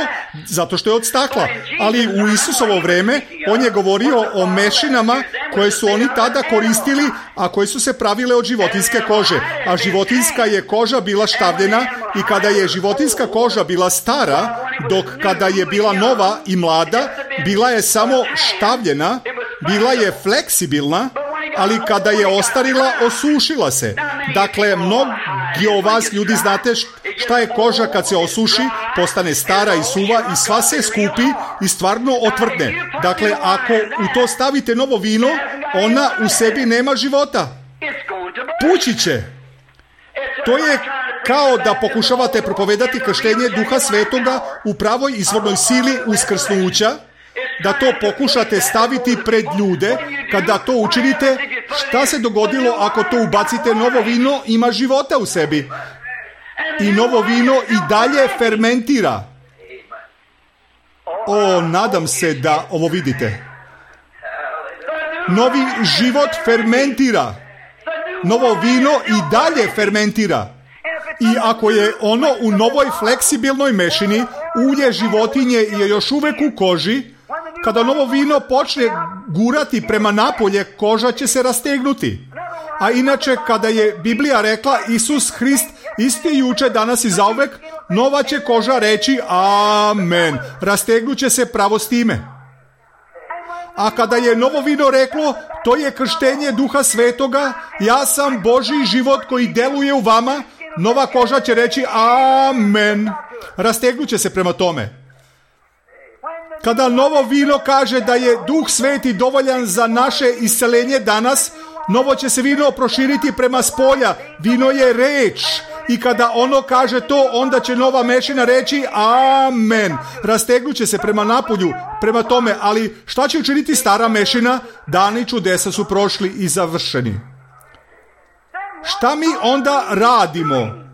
zato što je od stakla. Ali u Isusovo vreme on je govorio o mešinama koje su oni tada koristili, a koje su se pravile od životinjske kože. A životinjska je koža bila štavljena i kada je životinjska koža bila stara, dok kada je bila nova i mlada, bila je samo štavljena, bila je fleksibilna, ali kada je ostarila, osušila se. Dakle, mnogi od vas ljudi znate šta je koža kad se osuši, postane stara i suva i sva se skupi i stvarno otvrdne. Dakle, ako u to stavite novo vino, ona u sebi nema života. Pući će. To je kao da pokušavate propovedati krštenje Duha Svetoga u pravoj izvornoj sili uskrsnuća, da to pokušate staviti pred ljude. Kada to učinite, šta se dogodilo ako to ubacite? Novo vino ima života u sebi. I novo vino i dalje fermentira. Nadam se da ovo vidite. Novi život fermentira. Novo vino i dalje fermentira. I ako je ono u novoj fleksibilnoj mešini, ulje životinje je još uvek u koži, kada novo vino počne gurati prema napolje, koža će se rastegnuti. A inače, kada je Biblija rekla Isus Hrist isti juče, danas i zauvek, nova će koža reći amen. Rastegnuće se pravo s time. A kada je novo vino reklo, to je krštenje Duha Svetoga, ja sam Božji život koji deluje u vama, nova koža će reći amen. Rastegnuće se prema tome. Kada novo vino kaže da je Duh Sveti dovoljan za naše isceljenje danas, novo će se vino proširiti prema spolja. Vino je reč. I kada ono kaže to, onda će nova mešina reći amen. Rastegnuće se prema napolju, prema tome. Ali šta će učiniti stara mešina? Dani čudesa su prošli i završeni. Šta mi onda radimo?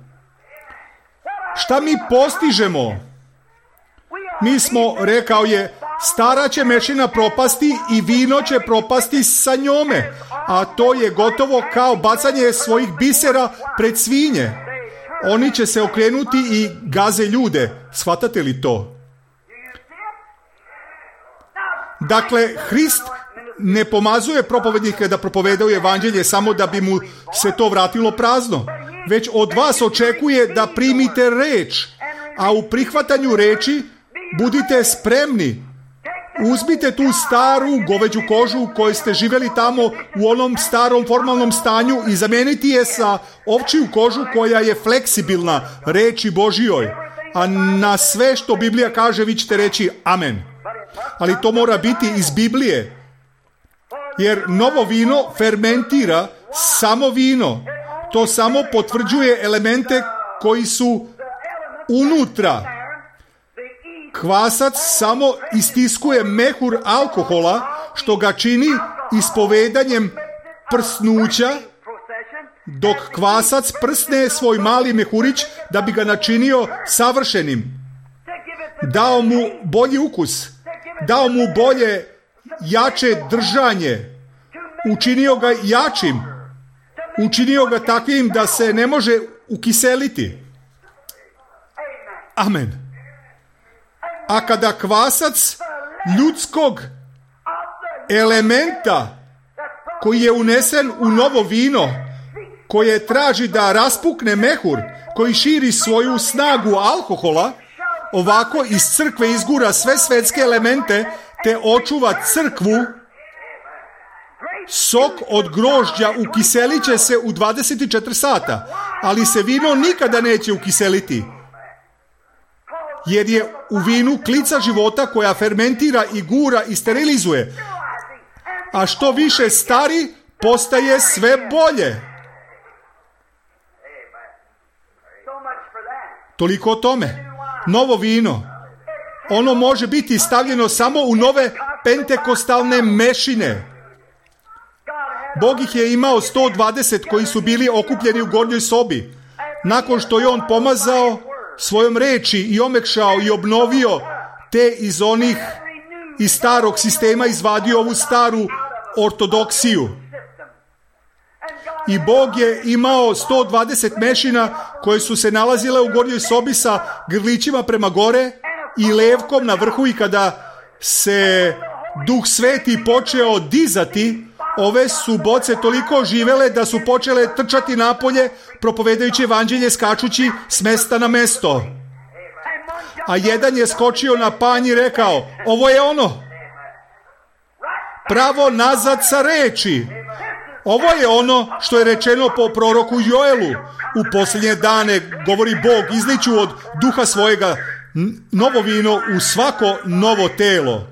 Šta mi postižemo? Mi smo, rekao je, stara će mešina propasti i vino će propasti sa njome. A to je gotovo kao bacanje svojih bisera pred svinje. Oni će se okrenuti i gaze ljude. Shvatate li to? Dakle, Hrist ne pomazuje propovednike da propovedaju evanđelje samo da bi mu se to vratilo prazno, već od vas očekuje da primite reč, a u prihvatanju reči budite spremni. Uzmite tu staru goveđu kožu u kojoj ste živjeli tamo u onom starom formalnom stanju i zamijeniti je sa ovčiju kožu koja je fleksibilna reči Božjoj. A na sve što Biblija kaže vi ćete reći amen. Ali to mora biti iz Biblije. Jer novo vino fermentira samo vino. To samo potvrđuje elemente koji su unutra. Kvasac samo istiskuje mehur alkohola, što ga čini ispovedanjem prsnuća, dok kvasac prsne svoj mali mehurić da bi ga načinio savršenim. Dao mu bolji ukus, dao mu bolje, jače držanje, učinio ga jačim, učinio ga takvim da se ne može ukiseliti. Amen. A kada kvasac ljudskog elementa koji je unesen u novo vino, koje traži da raspukne mehur, koji širi svoju snagu alkohola, ovako iz crkve izgura sve svetske elemente te očuva crkvu, sok od grožđa ukiselit će se u 24 sata, ali se vino nikada neće ukiseliti. Jer je u vinu klica života koja fermentira i gura i sterilizuje. A što više stari, postaje sve bolje. Toliko o tome. Novo vino. Ono može biti stavljeno samo u nove pentekostalne mešine. Bog ih je imao 120 koji su bili okupljeni u gornjoj sobi. Nakon što je on pomazao svojom reči i omekšao i obnovio te iz starog sistema izvadio ovu staru ortodoksiju. I Bog je imao 120 mešina koje su se nalazile u gornjoj sobi sa grlićima prema gore i levkom na vrhu, i kada se Duh Sveti počeo dizati, ove su boce toliko živele da su počele trčati napolje, propovedajući evanđelje, skačući s mesta na mesto. A jedan je skočio na panj i rekao, ovo je ono. Pravo nazad sa reči. Ovo je ono što je rečeno po proroku Joelu. U posljednje dane, govori Bog, izliću od duha svojega novo vino u svako novo telo.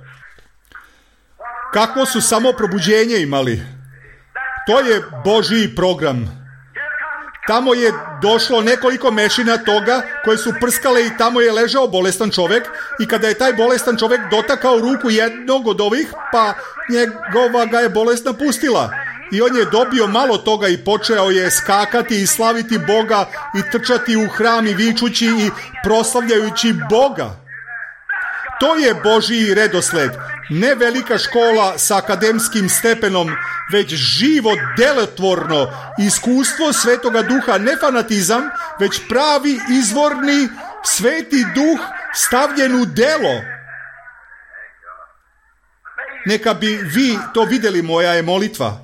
Kakvo su samo probuđenje imali. To je Božji program. Tamo je došlo nekoliko mešina toga koje su prskale i tamo je ležao bolestan čovjek, i kada je taj bolestan čovjek dotakao ruku jednog od ovih, pa njegova ga je bolest napustila. I on je dobio malo toga i počeo je skakati i slaviti Boga i trčati u hram i vičući i proslavljajući Boga. To je Božji redosled. Ne velika škola sa akademskim stepenom, već živo, delotvorno iskustvo Svetoga Duha, ne fanatizam, već pravi, izvorni, Sveti Duh stavljen u delo. Neka bi vi to vidjeli, moja je molitva.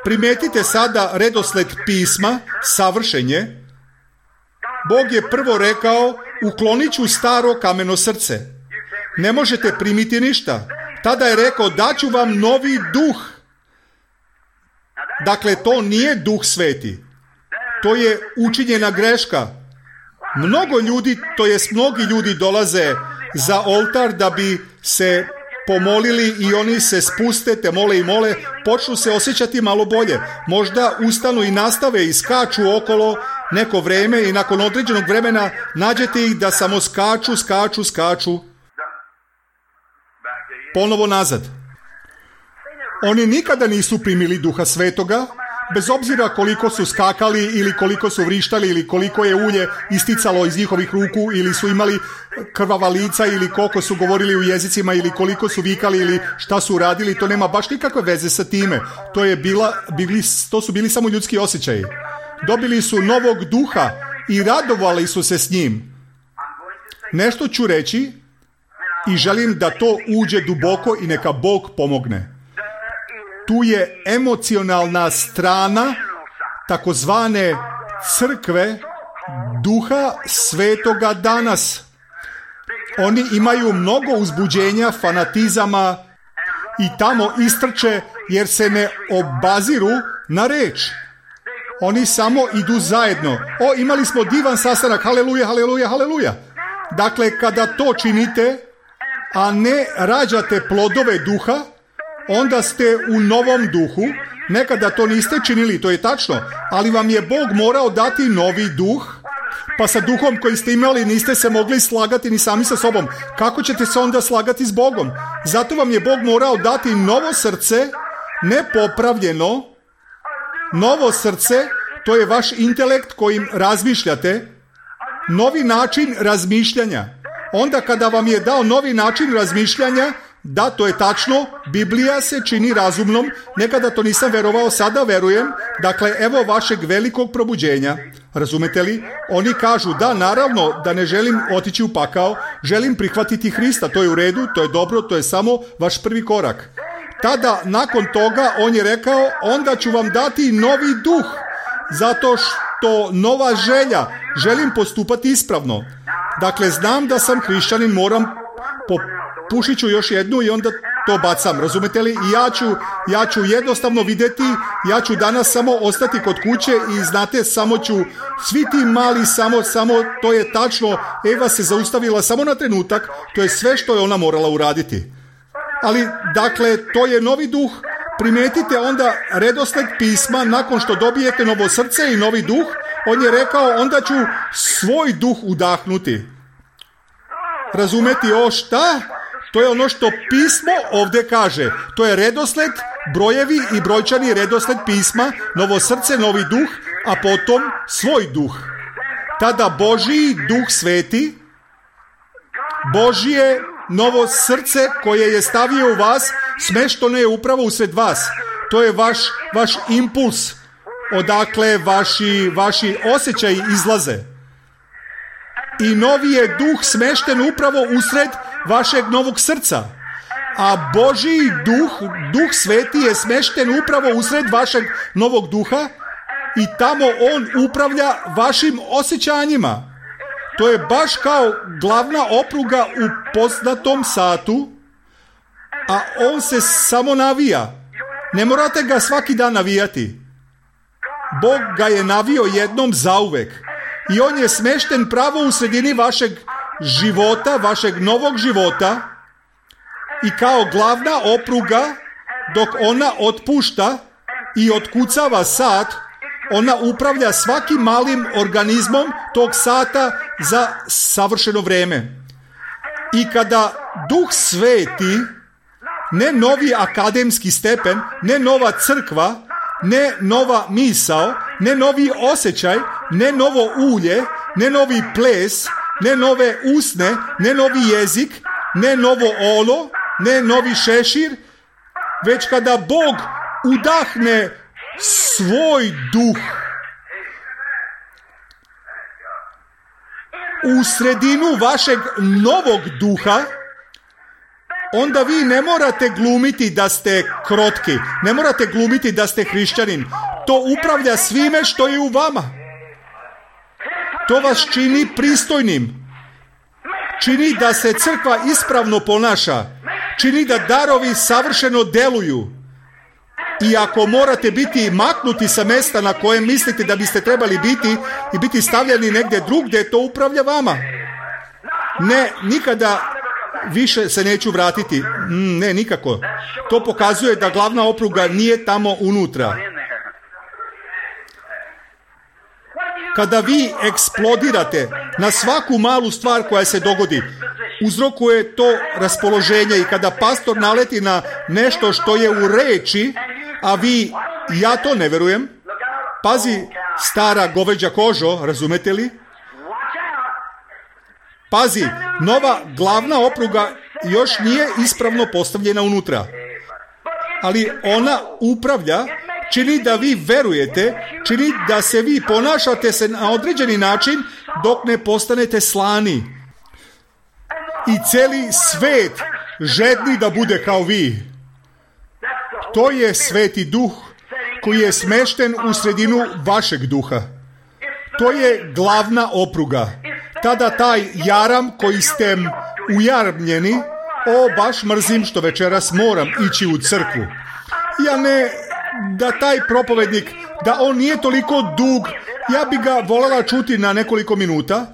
Primetite sada redosled pisma, savršenje. Bog je prvo rekao, uklonit ću staro kameno srce. Ne možete primiti ništa. Tada je rekao, daću vam novi duh. Dakle, to nije Duh Sveti. To je učinjena greška. Mnogi ljudi dolaze za oltar da bi se pomolili i oni se spuste, te mole i mole, počnu se osjećati malo bolje. Možda ustanu i nastave i skaču okolo neko vreme i nakon određenog vremena nađete ih da samo skaču ponovo nazad. Oni nikada nisu primili Duha Svetoga, bez obzira koliko su skakali ili koliko su vrištali ili koliko je ulje isticalo iz njihovih ruku ili su imali krvava lica ili koliko su govorili u jezicima ili koliko su vikali ili šta su radili, to nema baš nikakve veze sa time. To su bili samo ljudski osjećaji. Dobili su novog duha i radovali su se s njim. Nešto ću reći i želim da to uđe duboko i neka Bog pomogne. Tu je emocionalna strana takozvane crkve Duha Svetoga danas. Oni imaju mnogo uzbuđenja, fanatizama i tamo istrče jer se ne obaziru na reč. Oni samo idu zajedno. Imali smo divan sastanak, haleluja, haleluja, haleluja. Dakle, kada to činite, a ne rađate plodove duha, onda ste u novom duhu. Nekada to niste činili, to je tačno, ali vam je Bog morao dati novi duh, pa sa duhom koji ste imali niste se mogli slagati ni sami sa sobom. Kako ćete se onda slagati s Bogom? Zato vam je Bog morao dati novo srce, nepopravljeno. Novo srce, to je vaš intelekt kojim razmišljate, novi način razmišljanja. Onda kada vam je dao novi način razmišljanja, da, to je tačno, Biblija se čini razumnom, nekada to nisam verovao, sada verujem, dakle, evo vašeg velikog probuđenja, razumete li? Oni kažu, da, naravno, da ne želim otići u pakao, želim prihvatiti Hrista, to je u redu, to je dobro, to je samo vaš prvi korak. Tada, nakon toga, on je rekao, onda ću vam dati novi duh, zato što nova želja, želim postupati ispravno. Dakle, znam da sam hrišćanin, moram pušit ću još jednu i onda to bacam, razumete li? I ja ću jednostavno vidjeti, ja ću danas samo ostati kod kuće i znate, samo ću, svi ti mali, samo, to je tačno, Eva se zaustavila samo na trenutak, to je sve što je ona morala uraditi. Ali, dakle, to je novi duh, primetite onda redosled pisma, nakon što dobijete novo srce i novi duh, on je rekao, onda ću svoj duh udahnuti. Razumeti šta? To je ono što pismo ovdje kaže. To je redosled, brojevi i brojčani redosled pisma, novo srce, novi duh, a potom svoj duh. Tada Božji duh sveti, Božje novo srce koje je stavio u vas, smešteno je upravo usred vas. To je vaš impuls, odakle vaši osjećaji izlaze. I novi je duh smešten upravo usred vašeg novog srca. A Božji duh sveti je smešten upravo usred vašeg novog duha i tamo on upravlja vašim osjećanjima. To je baš kao glavna opruga u poznatom satu, a on se samo navija. Ne morate ga svaki dan navijati. Bog ga je navio jednom zauvek. I on je smešten pravo u sredini vašeg života, vašeg novog života i kao glavna opruga dok ona otpušta i otkucava sat, ona upravlja svakim malim organizmom tog sata za savršeno vreme. I kada Duh sveti, ne novi akademski stepen, ne nova crkva, ne nova misao, ne novi osjećaj, ne novo ulje, ne novi ples, ne nove usne, ne novi jezik, ne novo olo, ne novi šešir, već kada Bog udahne svoj duh u sredinu vašeg novog duha, onda vi ne morate glumiti da ste krotki, ne morate glumiti da ste hrišćanin. To upravlja svime što je u vama. To vas čini pristojnim. Čini da se crkva ispravno ponaša. Čini da darovi savršeno deluju. I ako morate biti maknuti sa mesta na kojem mislite da biste trebali biti i biti stavljeni negdje drugdje, to upravlja vama. Ne, nikada više se neću vratiti. Ne, nikako. To pokazuje da glavna opruga nije tamo unutra. Kada vi eksplodirate na svaku malu stvar koja se dogodi, uzrokuje to raspoloženje, i kada pastor naleti na nešto što je u reči, a vi, ja to ne verujem, pazi, stara goveđa kožo, razumete li? Pazi, nova glavna opruga još nije ispravno postavljena unutra, ali ona upravlja, čini da vi verujete, čini da se vi ponašate se na određeni način dok ne postanete slani. I cijeli svet žedni da bude kao vi. To je Sveti Duh koji je smešten u sredinu vašeg duha. To je glavna opruga. Tada taj jaram koji ste ujarmljeni, baš mrzim što večeras moram ići u crkvu. Ja ne, da taj propovednik, da on nije toliko dug, ja bi ga voljela čuti na nekoliko minuta,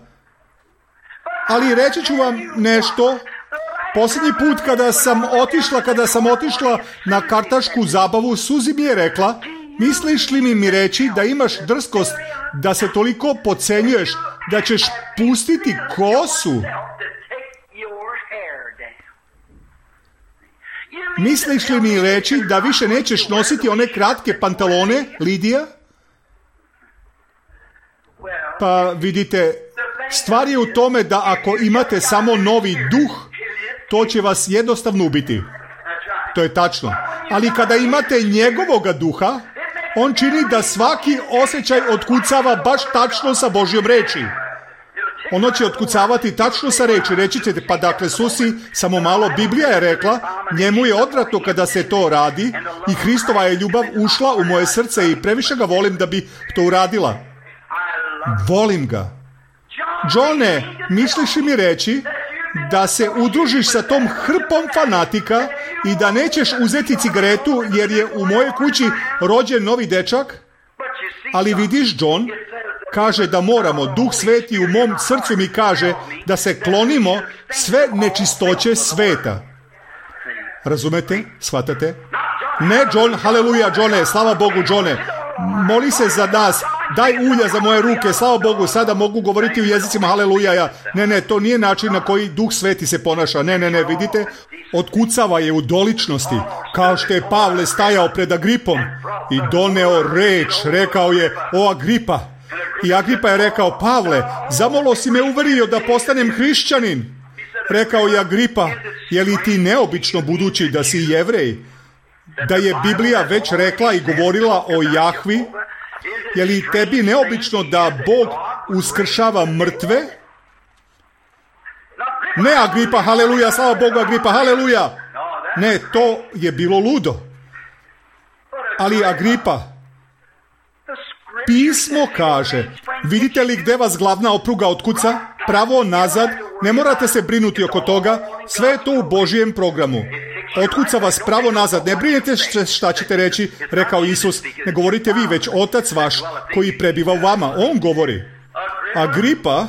ali reći ću vam nešto. Posljednji put kada sam otišla na kartašku zabavu, Suzi mi je rekla, misliš li mi reći da imaš drskost da se toliko podcenjuješ da ćeš pustiti kosu? Misliš li mi reći da više nećeš nositi one kratke pantalone, Lidija? Pa vidite, stvar je u tome da ako imate samo novi duh, to će vas jednostavno ubiti. To je tačno. Ali kada imate njegovoga duha, on čini da svaki osjećaj otkucava baš tačno sa Božjom reči. Ono će otkucavati tačno sa reči. Reći ćete, pa dakle, Susi, samo malo, Biblija je rekla, njemu je odvratno kada se to radi i Hristova je ljubav ušla u moje srce i previše ga volim da bi to uradila. Volim ga. Johne, misliš li mi reći da se udružiš sa tom hrpom fanatika i da nećeš uzeti cigaretu jer je u mojoj kući rođen novi dečak? Ali vidiš, John, kaže da moramo, Duh Sveti u mom srcu mi kaže da se klonimo sve nečistoće sveta. Razumete? Shvatate? Ne, John, haleluja, Johne, slava Bogu, Johne. Moli se za nas, daj ulja za moje ruke, slava Bogu, sada mogu govoriti u jezicima, haleluja. Ne, to nije način na koji Duh Sveti se ponaša. Ne, vidite, otkucava je u doličnosti, kao što je Pavle stajao pred Agripom i doneo reč, rekao je, o Agripa. I Agripa je rekao, Pavle, zamalo si me uverio da postanem hrišćanin. Rekao je Agripa, je li ti neobično budući da si Jevrej? Da je Biblija već rekla i govorila o Jahvi? Je li tebi neobično da Bog uskršava mrtve? Ne, Agripa, haleluja, slava Bogu, Agripa, haleluja. Ne, to je bilo ludo. Ali Agripa, pismo kaže, vidite li gde vas glavna opruga otkuca? Pravo, nazad, ne morate se brinuti oko toga, sve je to u Božijem programu. Otkuca vas pravo nazad, ne brinete šta ćete reći, rekao Isus, ne govorite vi, već Otac vaš koji prebiva u vama, on govori. Agripa,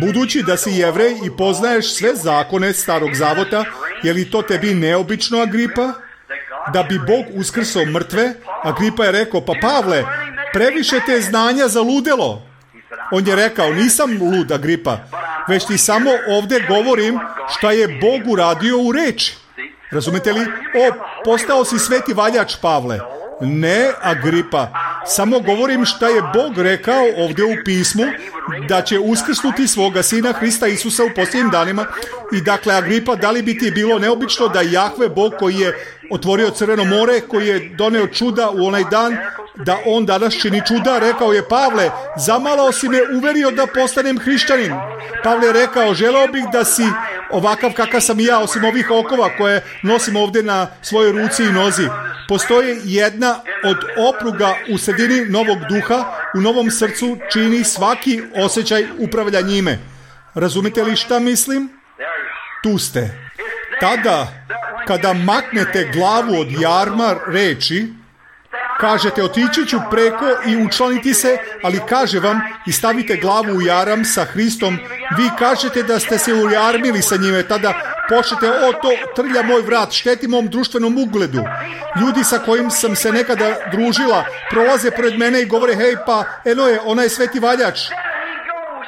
budući da si Jevrej i poznaješ sve zakone Starog Zavota, je li to tebi neobično, Agripa? Da bi Bog uskrsao mrtve? Agripa je rekao, pa Pavle, previše te znanja za ludelo. On je rekao, nisam lud, Agripa, već ti samo ovdje govorim šta je Bog uradio u reči. Razumete li? Postao si sveti valjač, Pavle. Ne, Agripa, samo govorim šta je Bog rekao ovdje u pismu, da će uskrsnuti svoga sina Hrista Isusa u posljednjim danima. I dakle, Agripa, da li bi ti bilo neobično da Jahve, Bog koji je otvorio Crveno more, koji je doneo čuda u onaj dan, da on danas čini čuda? Rekao je, Pavle, zamalo si me uverio da postanem hrišćanin. Pavle je rekao, želeo bih da si ovakav kakav sam i ja, osim ovih okova koje nosim ovdje na svojoj ruci i nozi. Postoji jedna od opruga u sredini novog duha, u novom srcu čini svaki osjećaj upravlja njime. Razumite li šta mislim? Tu ste. Tada, kada maknete glavu od jarma reči, kažete, otići ću preko i učlaniti se, ali kaže vam i stavite glavu u jaram sa Hristom, vi kažete da ste se ujarmili sa njime, tada počnete, to trlja moj vrat, šteti mom društvenom ugledu. Ljudi sa kojim sam se nekada družila prolaze pred mene i govore, hej, pa eno je, ona je sveti valjač.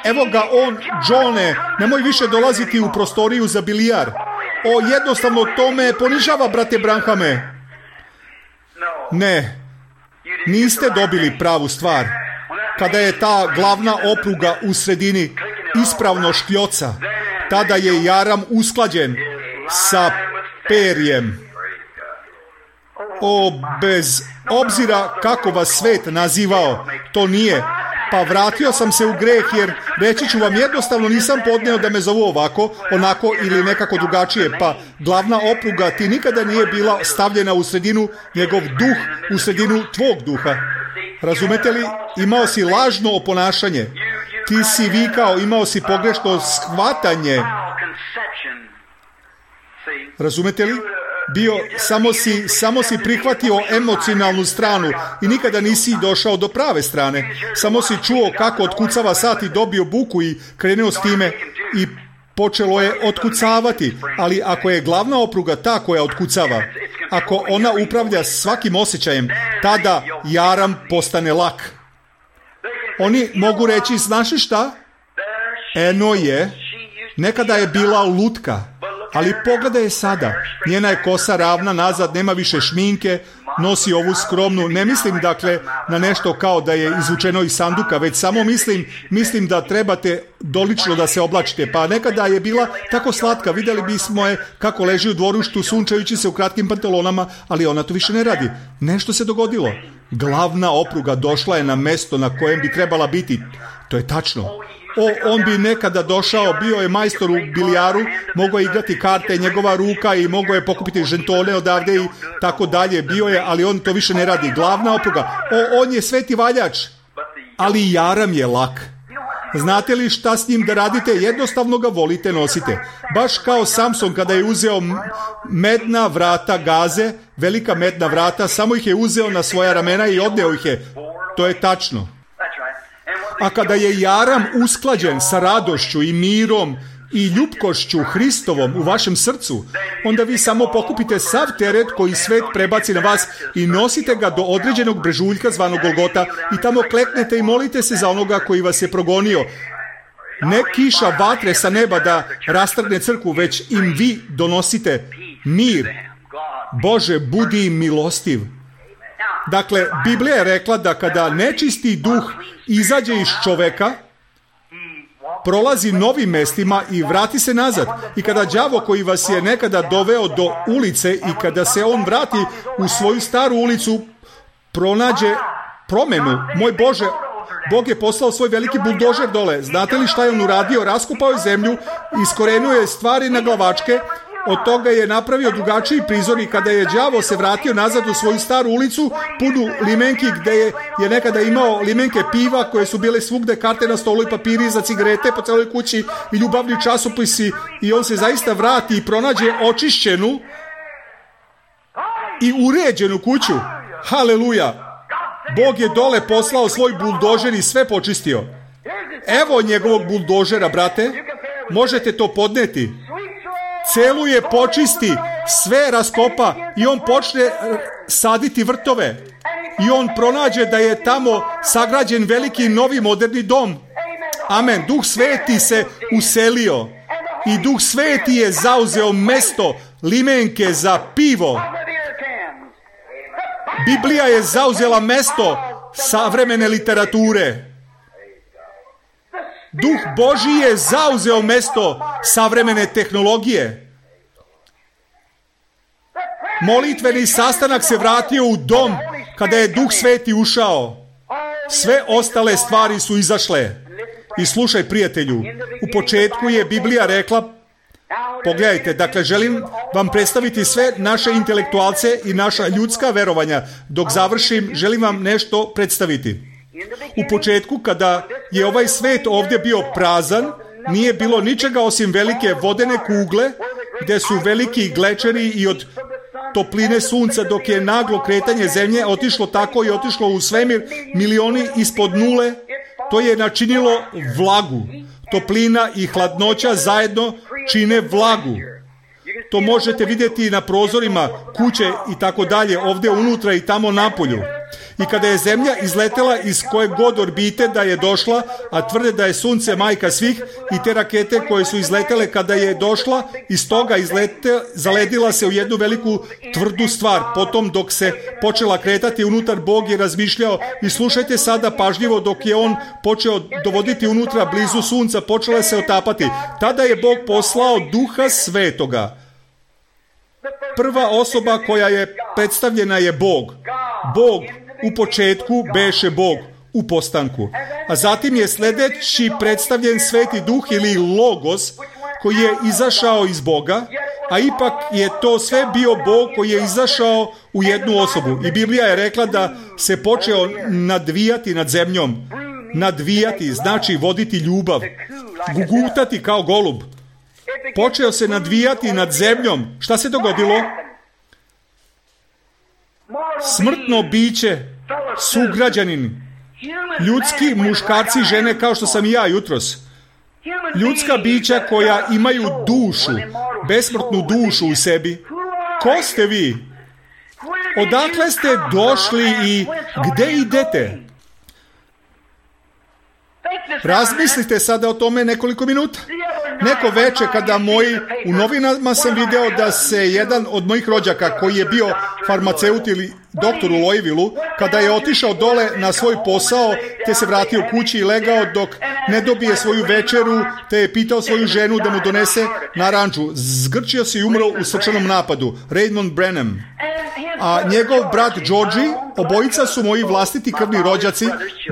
Evo ga on, Johne, nemoj više dolaziti u prostoriju za bilijar. Jednostavno to me ponižava, brate Branhame. Ne, niste dobili pravu stvar. Kada je ta glavna opruga u sredini ispravno škljoca, tada je jaram usklađen sa perjem. Bez obzira kako vas svet nazivao, to nije. Pa vratio sam se u greh, jer reći ću vam, jednostavno nisam podneo da me zovu ovako, onako ili nekako drugačije. Pa glavna opruga ti nikada nije bila stavljena u sredinu, njegov duh u sredinu tvog duha. Razumete li? Imao si lažno oponašanje. Ti si vikao, imao si pogrešno shvatanje. Razumete li? Samo si prihvatio emocionalnu stranu i nikada nisi došao do prave strane. Samo si čuo kako otkucava sat i dobio buku i krenuo s time i počelo je otkucavati. Ali ako je glavna opruga ta koja otkucava, ako ona upravlja svakim osjećajem, tada jaram postane lak. Oni mogu reći, znaš šta? Eno je, nekada je bila lutka, ali pogledaj je sada. Njena je kosa ravna nazad, nema više šminke, nosi ovu skromnu. Ne mislim dakle na nešto kao da je izvučeno iz sanduka, već samo mislim da trebate dolično da se oblačite. Pa nekada je bila tako slatka, vidjeli bismo je kako leži u dvorištu sunčajući se u kratkim pantalonama, ali ona to više ne radi. Nešto se dogodilo. Glavna opruga došla je na mesto na kojem bi trebala biti. To je tačno. On bi nekada došao, bio je majstor u bilijaru, mogao je igrati karte, njegova ruka i mogao je pokupiti žentone odavde i tako dalje. Bio je, ali on to više ne radi. Glavna opruga. On je sveti valjač, ali jaram je lak. Znate li šta s njim da radite? Jednostavno ga volite, nosite. Baš kao Samson kada je uzeo medna vrata Gaze, velika medna vrata, samo ih je uzeo na svoja ramena i odneo ih je. To je tačno. A kada je jaram usklađen sa radošću i mirom i ljubkošću Hristovom u vašem srcu, onda vi samo pokupite sav teret koji svet prebaci na vas i nosite ga do određenog brežuljka zvanog Golgota i tamo kleknete i molite se za onoga koji vas je progonio. Ne kiša vatre sa neba da rastrgne crkvu, već im vi donosite mir. Bože, budi im milostiv. Dakle, Biblija je rekla da kada nečisti duh izađe iz čoveka, prolazi novim mestima i vrati se nazad. I kada đavo koji vas je nekada doveo do ulice i kada se on vrati u svoju staru ulicu, pronađe promenu. Moj Bože, Bog je poslao svoj veliki buldožer dole. Znate li šta je on uradio? Raskopao je zemlju, iskorenuo je stvari na glavačke. Od toga je napravio drugačiji prizor i kada je đavo se vratio nazad u svoju staru ulicu, punu limenki gde je nekada imao limenke piva koje su bile svugde, karte na stolu i papiri za cigarete po celoj kući i ljubavni časopisi, i on se zaista vrati i pronađe očišćenu i uređenu kuću. Haleluja! Bog je dole poslao svoj buldožer i sve počistio. Evo njegovog buldožera, brate. Možete to podneti. Celu je počisti, sve raskopa i on počne saditi vrtove. I on pronađe da je tamo sagrađen veliki novi moderni dom. Amen. Duh Sveti se uselio i Duh Sveti je zauzeo mesto limenke za pivo. Biblija je zauzela mesto savremene literature. Duh Božji je zauzeo mesto savremene tehnologije. Molitveni sastanak se vratio u dom kada je Duh Sveti ušao. Sve ostale stvari su izašle. I slušaj, prijatelju, u početku je Biblija rekla, pogledajte, dakle, želim vam predstaviti sve naše intelektualce i naša ljudska verovanja. Dok završim, želim vam nešto predstaviti. U početku, kada je ovaj svet ovdje bio prazan, nije bilo ničega osim velike vodene kugle, gdje su veliki glečeri i od topline sunca, dok je naglo kretanje zemlje otišlo tako i otišlo u svemir, milioni ispod nule, to je načinilo vlagu. Toplina i hladnoća zajedno čine vlagu. to možete vidjeti na prozorima kuće i tako dalje, ovdje unutra i tamo napolju. I kada je zemlja izletela iz koje god orbite da je došla, a tvrde da je sunce majka svih, i te rakete koje su izletele kada je došla, iz toga zaledila se u jednu veliku tvrdu stvar. Potom dok se počela kretati unutar, Bog je razmišljao, i slušajte sada pažljivo, dok je on počeo dovoditi unutra blizu sunca, počela se otapati. Tada je Bog poslao Duha Svetoga. Prva osoba koja je predstavljena je Bog. Bog u početku beše Bog u postanku. A zatim je sljedeći predstavljen Sveti Duh ili Logos, koji je izašao iz Boga, a ipak je to sve bio Bog koji je izašao u jednu osobu. I Biblija je rekla da se počeo nadvijati nad zemljom. Nadvijati znači voditi ljubav. Gugutati kao golub. Počeo se nadvijati nad zemljom. Šta se dogodilo? Smrtno biće, sugrađanin, ljudski muškarci i žene kao što sam i ja jutros. Ljudska bića koja imaju dušu, besmrtnu dušu u sebi. Ko ste vi? Odakle ste došli i gdje idete? Razmislite sada o tome nekoliko minuta. Neko veče kada u novinama sam video da se jedan od mojih rođaka koji je bio farmaceut ili doktor u Louisvilleu, kada je otišao dole na svoj posao, te se vratio kući i legao dok ne dobije svoju večeru, te je pitao svoju ženu da mu donese naranđu. Zgrčio se i umro u srčanom napadu. Raymond Brennan. A njegov brat Georgie, obojica su moji vlastiti krvni rođaci,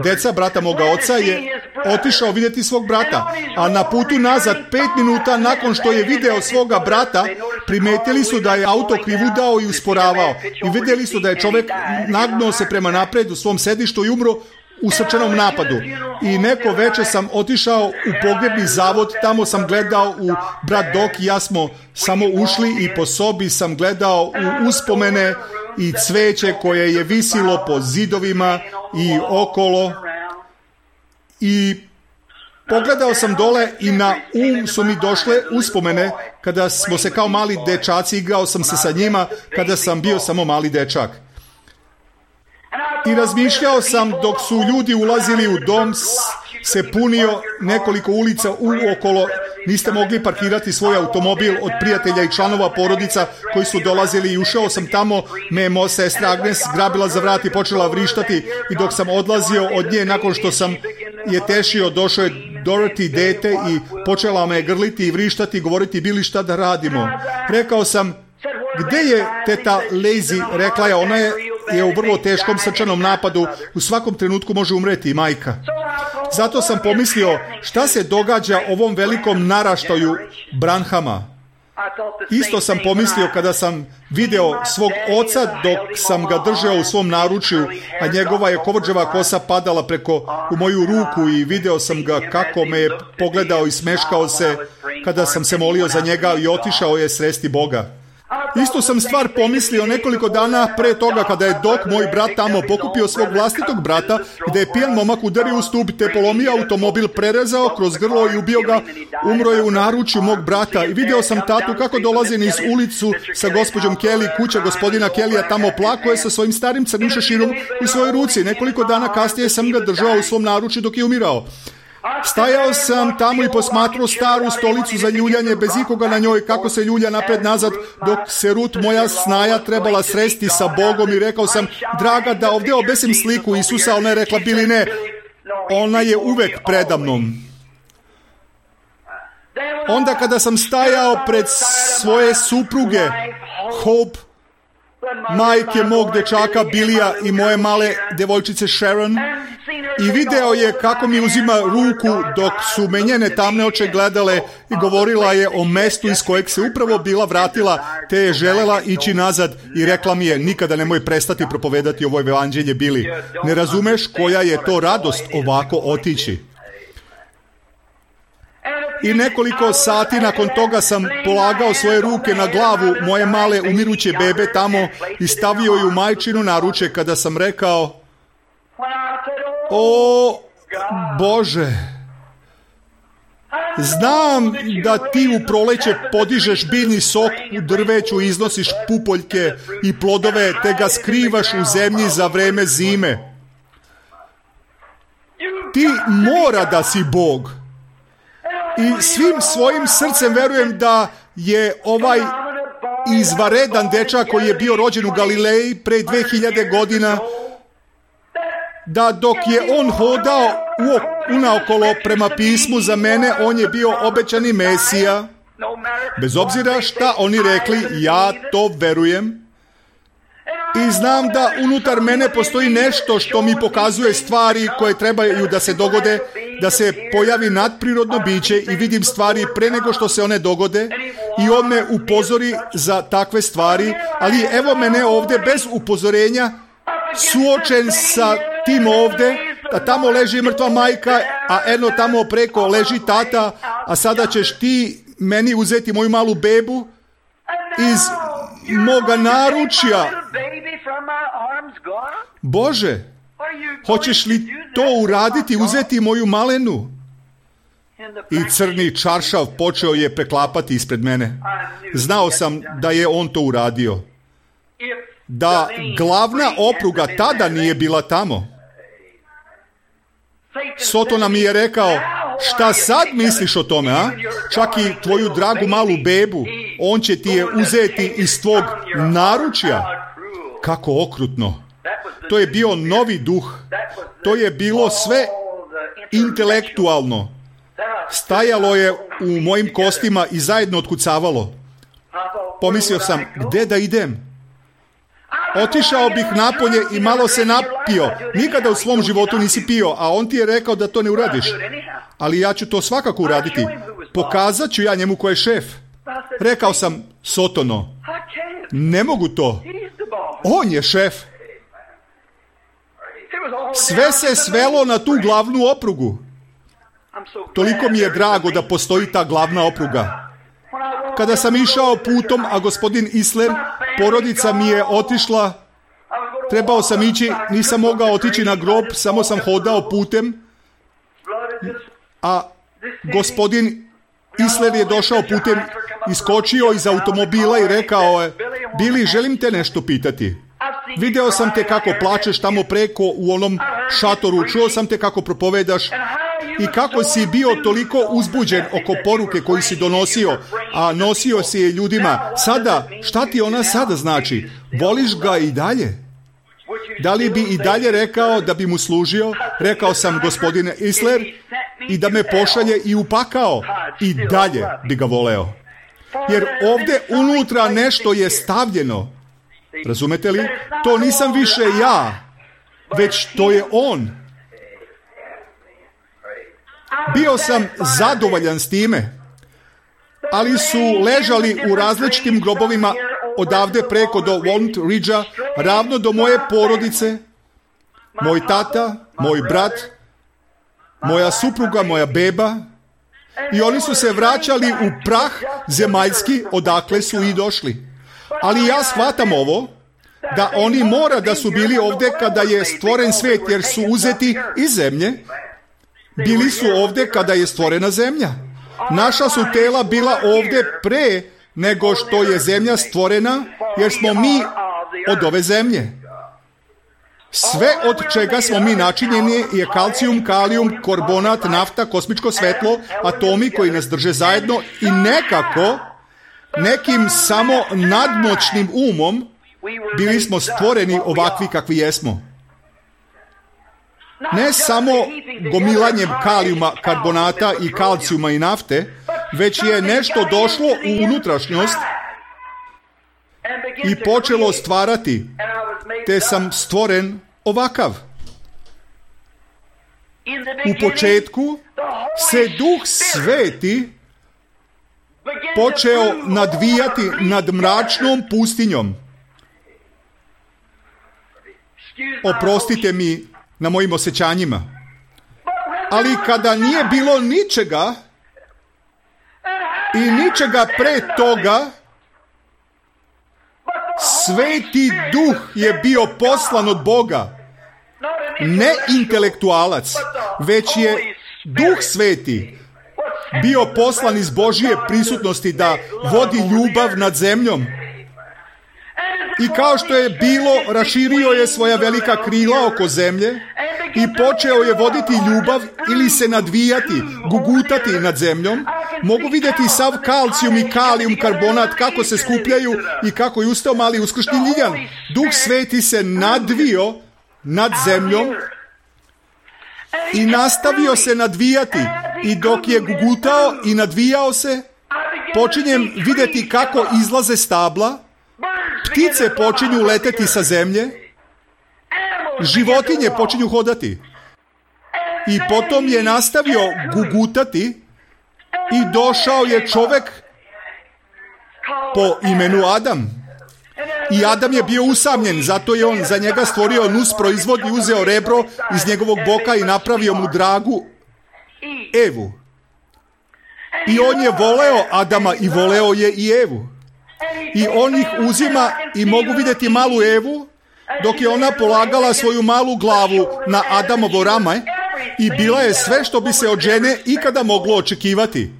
deca brata moga oca, je otišao vidjeti svog brata, a na putu nazad 5 minuta nakon što je video svoga brata, primetili su da je auto krivudao i usporavao i vidjeli su da je čovjek nagnuo se prema napred u svom sedištu i umro u srčanom napadu. I neko veče sam otišao u pogrebni zavod, tamo sam gledao u brat Doc i ja smo samo ušli i po sobi sam gledao u uspomene i cveće koje je visilo po zidovima i okolo. I pogledao sam dole i na su mi došle uspomene kada smo se kao mali dečaci, igrao sam se sa njima kada sam bio samo mali dečak. I razmišljao sam dok su ljudi ulazili u dom, se punio nekoliko ulica uokolo, niste mogli parkirati svoj automobil od prijatelja i članova porodica koji su dolazili i ušao sam tamo, me sestra Agnes grabila za vrat i počela vrištati i dok sam odlazio od nje nakon što sam je tešio, došao je Dorothy dete i počela me grliti i vrištati i govoriti bili šta da radimo. Rekao sam, gdje je teta Lazy? Rekla je, ona je u vrlo teškom srčanom napadu, u svakom trenutku može umreti majka. Zato sam pomislio, šta se događa ovom velikom naraštaju Branhama? Isto sam pomislio kada sam video svog oca dok sam ga držao u svom naručju, a njegova je kovrđava kosa padala u moju ruku i video sam ga kako me je pogledao i smeškao se kada sam se molio za njega i otišao je sresti Boga. Istu sam stvar pomislio nekoliko dana pre toga kada je Dok, moj brat, tamo pokupio svog vlastitog brata, gde je pijan momak udario u stup te polomio automobil, prerezao kroz grlo i ubio ga, umro je u naručju mog brata i video sam tatu kako dolazi niz ulicu sa gospođom Kelly, kuća gospodina Kellya, tamo plako je sa svojim starim crnim šeširom u svojoj ruci. Nekoliko dana kasnije sam ga držao u svom naručju dok je umirao. Stajao sam tamo i posmatrao staru stolicu za ljuljanje bez ikoga na njoj, kako se ljulja napred nazad, dok se Rut, moja snaja, trebala sresti sa Bogom i rekao sam, draga, da ovdje obesim sliku Isusa, ona je rekla, bili ne, ona je uvek predamnom. Onda kada sam stajao pred svoje supruge, Hope, majke mog dečaka Bilija i moje male devojčice Sharon, i video je kako mi uzima ruku dok su me njene tamne oči gledale i govorila je o mestu iz kojeg se upravo bila vratila, te je želela ići nazad i rekla mi je, nikada nemoj prestati propovedati ovo evanđelje, Bili. Ne razumeš koja je to radost ovako otići. I nekoliko sati nakon toga sam polagao svoje ruke na glavu moje male umiruće bebe tamo i stavio ju majčinu naruče kada sam rekao, o Bože, Znam da ti u proleće podižeš biljni sok u drveću, iznosiš pupoljke i plodove, te ga skrivaš u zemlji za vreme zime. Ti mora da si Bog. I svim svojim srcem verujem da je ovaj izvaredan dečak koji je bio rođen u Galileji pre 2000 godina, da dok je on hodao unaokolo prema pismu, za mene on je bio obećani Mesija. Bez obzira šta oni rekli, ja to verujem. I znam da unutar mene postoji nešto što mi pokazuje stvari koje trebaju da se dogode, da se pojavi nadprirodno biće i vidim stvari pre nego što se one dogode i on me upozori za takve stvari, ali evo mene ovdje bez upozorenja, suočen sa tim ovdje, da tamo leži mrtva majka, a eno tamo preko leži tata, a sada ćeš ti meni uzeti moju malu bebu iz moga naručja. Bože, hoćeš li to uraditi, uzeti moju malenu? I crni čaršav počeo je preklapati ispred mene. Znao sam da je on to uradio. Da glavna opruga tada nije bila tamo. Sotona mi je rekao, šta sad misliš o tome, a? Čak i tvoju dragu malu bebu, on će ti je uzeti iz tvog naručja. Kako okrutno. To je bio novi duh. To je bilo sve intelektualno. Stajalo je u mojim kostima i zajedno otkucavalo. Pomislio sam, gde da idem? Otišao bih napolje i malo se napio. Nikada u svom životu nisi pio, a on ti je rekao da to ne uradiš. Ali ja ću to svakako uraditi. Pokazat ću ja njemu ko je šef. Rekao sam, Sotono, ne mogu to. On je šef. Sve se svelo na tu glavnu oprugu. Toliko mi je drago da postoji ta glavna opruga. Kada sam išao putom, a gospodin Isler, porodica mi je otišla, trebao sam ići, nisam mogao otići na grob, samo sam hodao putem, a gospodin Isler je došao putem, iskočio iz automobila i rekao je, Bili, želim te nešto pitati. Video sam te kako plačeš tamo preko u onom šatoru, čuo sam te kako propovedaš i kako si bio toliko uzbuđen oko poruke koju si donosio, a nosio si je ljudima. Sada, šta ti ona sada znači? Voliš ga i dalje? Da li bi i dalje rekao da bi mu služio? Rekao sam, gospodine Isler, i da me pošalje i upakao. I dalje bi ga voleo. Jer ovdje unutra nešto je stavljeno. Razumete li? To nisam više ja, već to je on. Bio sam zadovoljan s time, ali su ležali u različitim grobovima odavde preko do Walnut Ridgea, ravno do moje porodice, moj tata, moj brat, moja supruga, moja beba, i oni su se vraćali u prah zemaljski odakle su i došli. Ali ja shvatam ovo, da oni mora da su bili ovdje kada je stvoren svijet, jer su uzeti iz zemlje. Bili su ovdje kada je stvorena zemlja. Naša su tela bila ovdje pre nego što je zemlja stvorena, jer smo mi od ove zemlje. Sve od čega smo mi načinjeni je kalcijum, kalijum, karbonat, nafta, kosmičko svetlo, atomi koji nas drže zajedno i nekako, nekim samo nadmoćnim umom, bili smo stvoreni ovakvi kakvi jesmo. Ne samo gomilanjem kalijuma, karbonata i kalcijuma i nafte, već je nešto došlo u unutrašnjost i počelo stvarati, te sam stvoren ovakav. U početku se Duh Sveti počeo nadvijati nad mračnom pustinjom. Oprostite mi na mojim osjećanjima. Ali kada nije bilo ničega i ničega pre toga, Sveti Duh je bio poslan od Boga. Ne intelektualac, već je Duh Sveti. bio poslan iz Božje prisutnosti da vodi ljubav nad zemljom. I kao što je bilo, raširio je svoja velika krila oko zemlje i počeo je voditi ljubav ili se nadvijati, gugutati nad zemljom. Mogu vidjeti sav kalcijum i kalijum karbonat kako se skupljaju i kako je ustao mali uskršnji ljiljan. Duh Sveti se nadvio nad zemljom i nastavio se nadvijati. I dok je gugutao i nadvijao se, počinjem vidjeti kako izlaze stabla, ptice počinju leteti sa zemlje, životinje počinju hodati. I potom je nastavio gugutati i došao je čovjek po imenu Adam. I Adam je bio usamljen, zato je on za njega stvorio nus proizvod i uzeo rebro iz njegovog boka i napravio mu dragu Evu. I on je voleo Adama i voleo je i Evu. I on ih uzima i mogu vidjeti malu Evu dok je ona polagala svoju malu glavu na Adamovo rame i bila je sve što bi se od žene ikada moglo očekivati.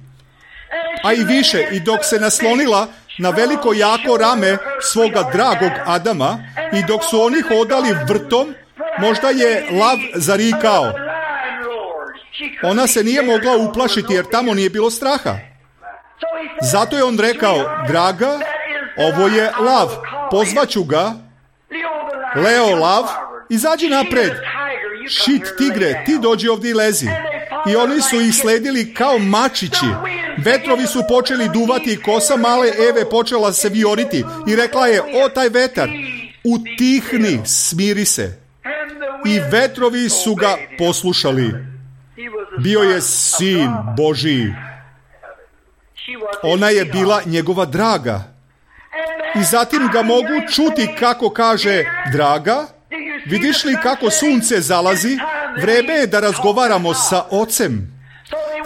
A i više, i dok se naslonila na veliko jako rame svoga dragog Adama i dok su oni hodali vrtom, možda je lav zarikao. Ona se nije mogla uplašiti jer tamo nije bilo straha. Zato je on rekao, draga, ovo je lav, pozvaću ga, Leo lav, izađi napred, šit tigre, ti dođi ovdje i lezi. I oni su ih sledili kao mačići. Vetrovi su počeli duvati i kosa male Eve počela se vijoriti. I rekla je, o taj vetar, utihni, smiri se. I vetrovi su ga poslušali. Bio je sin Božji. Ona je bila njegova draga. I zatim ga mogu čuti kako kaže, draga, vidiš li kako sunce zalazi? Vreme je da razgovaramo sa ocem.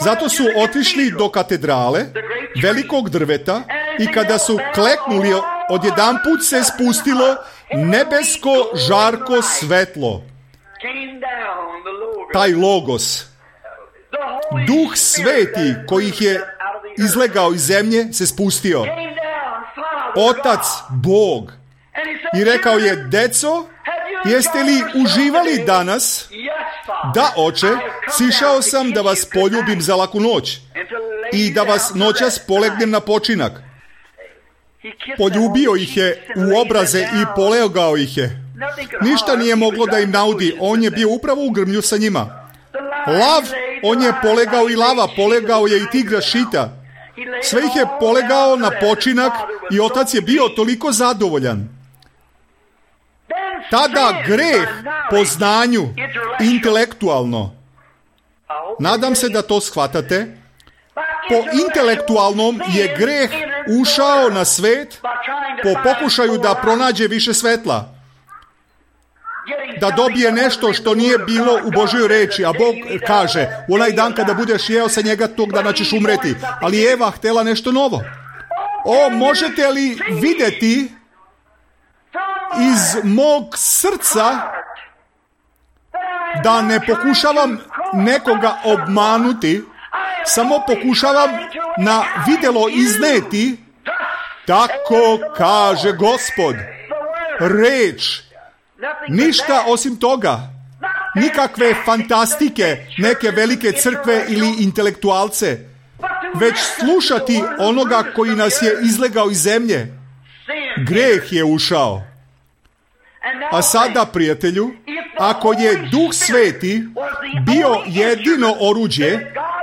Zato su otišli do katedrale, velikog drveta, i kada su kleknuli, odjedanput se spustilo nebesko žarko svetlo. Taj logos. Duh Sveti koji ih je izlegao iz zemlje se spustio. Otac Bog. I rekao je, deco, jeste li uživali danas? Da, oče, sišao sam da vas poljubim za laku noć i da vas noćas polegnem na počinak. Poljubio ih je u obraze i polegao ih je. Ništa nije moglo da im naudi, on je bio upravo u grmlju sa njima. Lav, on je polegao i lava, polegao je i tigra šita. Sve ih je polegao na počinak i otac je bio toliko zadovoljan. Tada greh po znanju, intelektualno, nadam se da to shvatate, po intelektualnom je greh ušao na svet po pokušaju da pronađe više svetla. Da dobije nešto što nije bilo u Božjoj reči, a Bog kaže, u onaj dan kada budeš jeo sa njega, tog dana ćeš umreti. Ali Eva htjela nešto novo. O, možete li vidjeti iz mog srca da ne pokušavam nekoga obmanuti, samo pokušavam na vidjelo izneti, tako kaže Gospod. Reč. Ništa osim toga. Nikakve fantastike, neke velike crkve ili intelektualce. Već slušati onoga koji nas je izlegao iz zemlje. Greh je ušao. A sada, prijatelju, ako je Duh Sveti bio jedino oruđe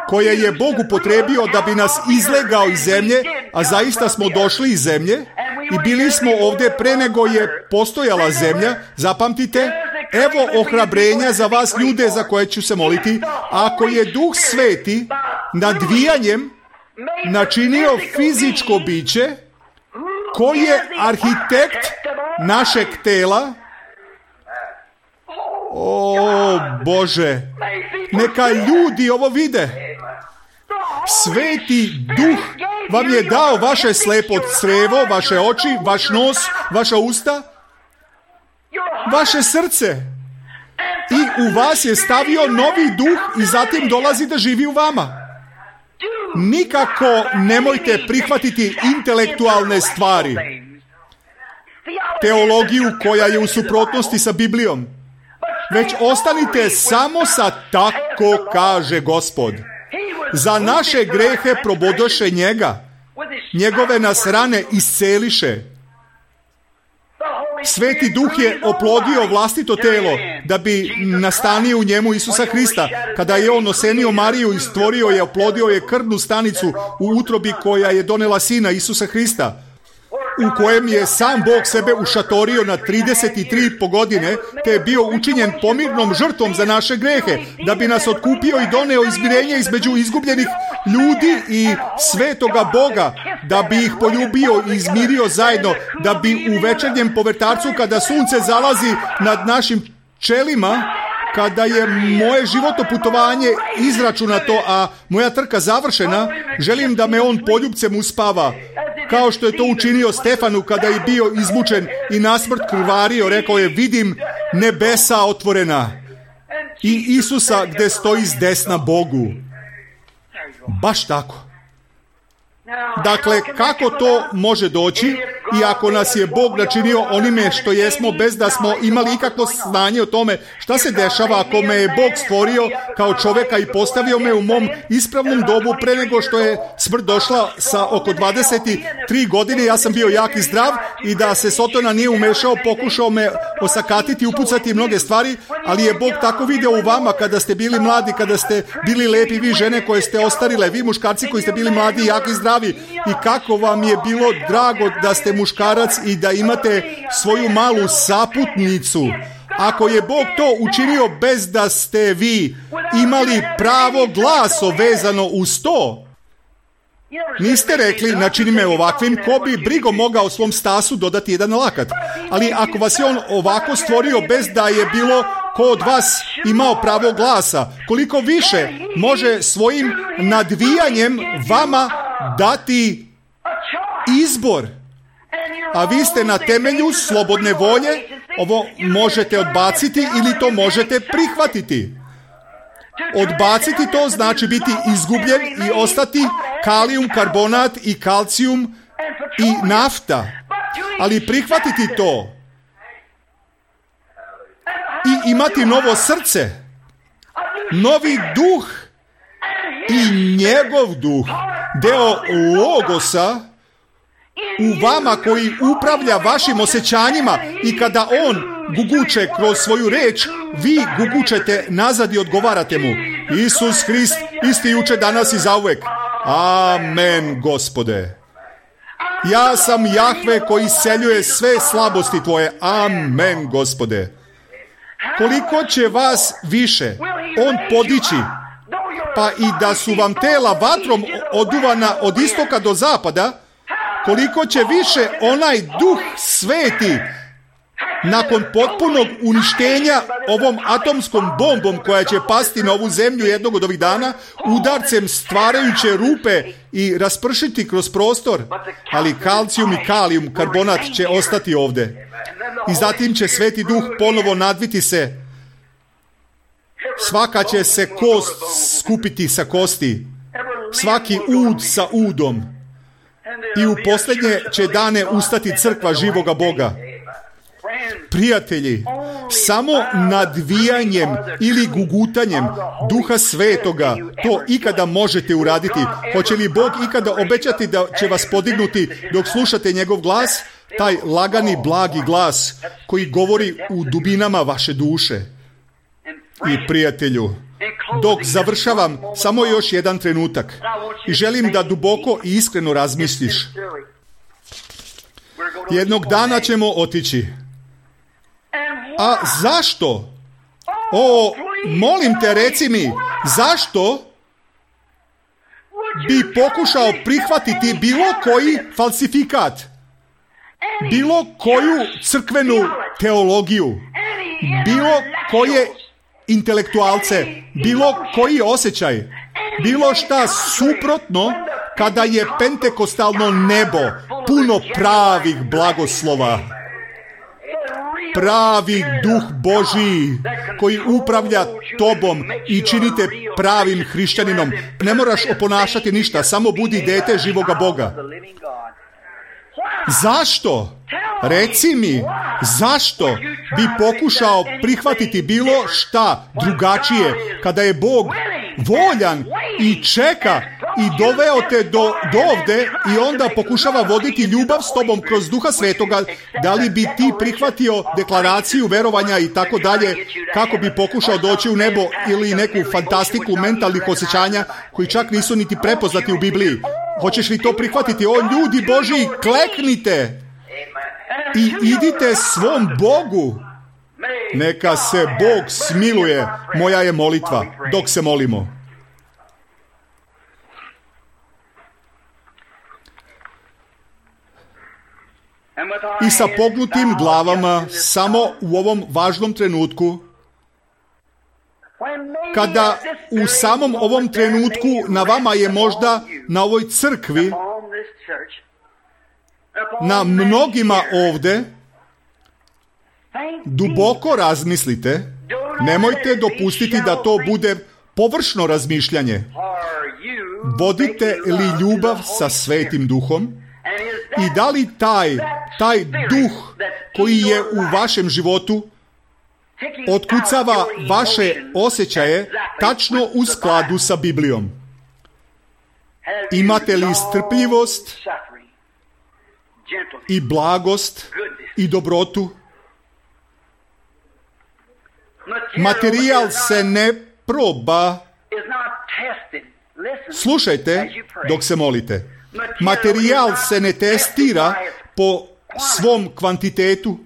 koje je Bog upotrebio da bi nas izlegao iz zemlje, a zaista smo došli iz zemlje i bili smo ovdje pre nego je postojala zemlja, zapamtite, evo ohrabrenja za vas ljude za koje ću se moliti, ako je Duh Sveti nadvijanjem načinio fizičko biće, koji je arhitekt našeg tela, o Bože, neka ljudi ovo vide. Sveti Duh vam je dao vaše slepo crevo, vaše oči, vaš nos, vaša usta, vaše srce. I u vas je stavio novi duh i zatim dolazi da živi u vama. nikako nemojte prihvatiti intelektualne stvari, teologiju koja je u suprotnosti sa Biblijom, već ostanite samo sa tako kaže Gospod. Za naše grehe probodoše njega, njegove nas rane isceliše. Sveti Duh je oplodio vlastito telo da bi nastanio u njemu Isusa Hrista. Kada je on osenio Mariju i stvorio je, oplodio je krvnu stanicu u utrobi koja je donela sina Isusa Hrista, u kojem je sam Bog sebe ušatorio na 33,5 godine, te je bio učinjen pomirnom žrtvom za naše grehe, da bi nas otkupio i doneo izmirenje između izgubljenih ljudi i svetoga Boga, da bi ih poljubio i izmirio zajedno, da bi u večernjem povrtarcu, kada sunce zalazi nad našim čelima, kada je moje životno putovanje izračunato, a moja trka završena, želim da me on poljubcem uspava, kao što je to učinio Stefanu kada je bio izmučen i nasmrt krvario. Rekao je, vidim nebesa otvorena i Isusa gde stoji s desna Bogu. Baš tako. Dakle, kako to može doći, i ako nas je Bog načinio onime što jesmo, bez da smo imali ikakvo znanje o tome šta se dešava ako me je Bog stvorio kao čoveka i postavio me u mom ispravnom dobu pre nego što je smrt došla sa oko 23 godine, ja sam bio jak i zdrav i da se Sotona nije umešao, pokušao me osakatiti, upucati mnoge stvari, ali je Bog tako video u vama kada ste bili mladi, kada ste bili lepi, vi žene koje ste ostarile, vi muškarci koji ste bili mladi, jaki i zdravi, i kako vam je bilo drago da ste muškarac i da imate svoju malu saputnicu. Ako je Bog to učinio bez da ste vi imali pravo glaso vezano uz to, niste rekli, načini me ovakvim, ko bi brigom mogao svom stasu dodati jedan lakat. Ali ako vas je on ovako stvorio bez da je bilo ko od vas imao pravo glasa, koliko više može svojim nadvijanjem vama dati izbor. A vi ste na temelju slobodne volje, ovo možete odbaciti ili to možete prihvatiti. Odbaciti to znači biti izgubljen i ostati kalijum, karbonat i kalcijum i nafta. Ali prihvatiti to i imati novo srce, novi duh i njegov duh, deo logosa u vama koji upravlja vašim osjećanjima, i kada on guguče kroz svoju reč, vi gugučete nazad i odgovarate mu. Isus Hrist, isti juče, danas i zauvek. Amen, Gospode. Ja sam Jahve koji isceljuje sve slabosti tvoje. Amen, Gospode. Koliko će vas više on podići, pa i da su vam tela vatrom oduvana od istoka do zapada, koliko će više onaj Duh Sveti nakon potpunog uništenja ovom atomskom bombom koja će pasti na ovu zemlju jednog od ovih dana, udarcem stvarajuće rupe i raspršiti kroz prostor, ali kalcijum i kalijum, karbonat će ostati ovde. I zatim će Sveti Duh ponovo nadviti se. Svaka će se kost skupiti sa kosti, svaki ud sa udom. I u posljednje će dane ustati crkva živoga Boga. Prijatelji, samo nadvijanjem ili gugutanjem Duha Svetoga to ikada možete uraditi. Hoće li Bog ikada obećati da će vas podignuti dok slušate njegov glas? Taj lagani, blagi glas koji govori u dubinama vaše duše. I prijatelju, dok završavam, samo još jedan trenutak. I želim da duboko i iskreno razmisliš. Jednog dana ćemo otići. A zašto? O, molim te, reci mi, zašto bi pokušao prihvatiti bilo koji falsifikat, bilo koju crkvenu teologiju, bilo koje intelektualce, bilo koji osjećaj, bilo šta suprotno kada je pentekostalno nebo puno pravih blagoslova. pravi duh Božiji koji upravlja tobom i činite pravim hrišćaninom. Ne moraš oponašati ništa, samo budi dete živoga Boga. Zašto? Reci mi, zašto bi pokušao prihvatiti bilo šta drugačije kada je Bog voljan i čeka i doveo te do ovde i onda pokušava voditi ljubav s tobom kroz Duha Svetoga? Da li bi ti prihvatio deklaraciju verovanja i tako dalje kako bi pokušao doći u nebo ili neku fantastiku mentalnih osjećanja koji čak nisu niti prepoznati u Bibliji? Hoćeš li to prihvatiti? O ljudi Božji, kleknite i idite svom Bogu. Neka se Bog smiluje, moja je molitva dok se molimo. I sa pognutim glavama, samo u ovom važnom trenutku, kada u samom ovom trenutku na vama je možda na ovoj crkvi, na mnogima ovde, duboko razmislite, nemojte dopustiti da to bude površno razmišljanje. Vodite li ljubav sa Svetim Duhom i da li taj duh koji je u vašem životu otkucava vaše osjećaje tačno u skladu sa Biblijom? Imate li strpljivost i blagost i dobrotu? Materijal se ne proba. Slušajte dok se molite. Materijal se ne testira po svom kvantitetu.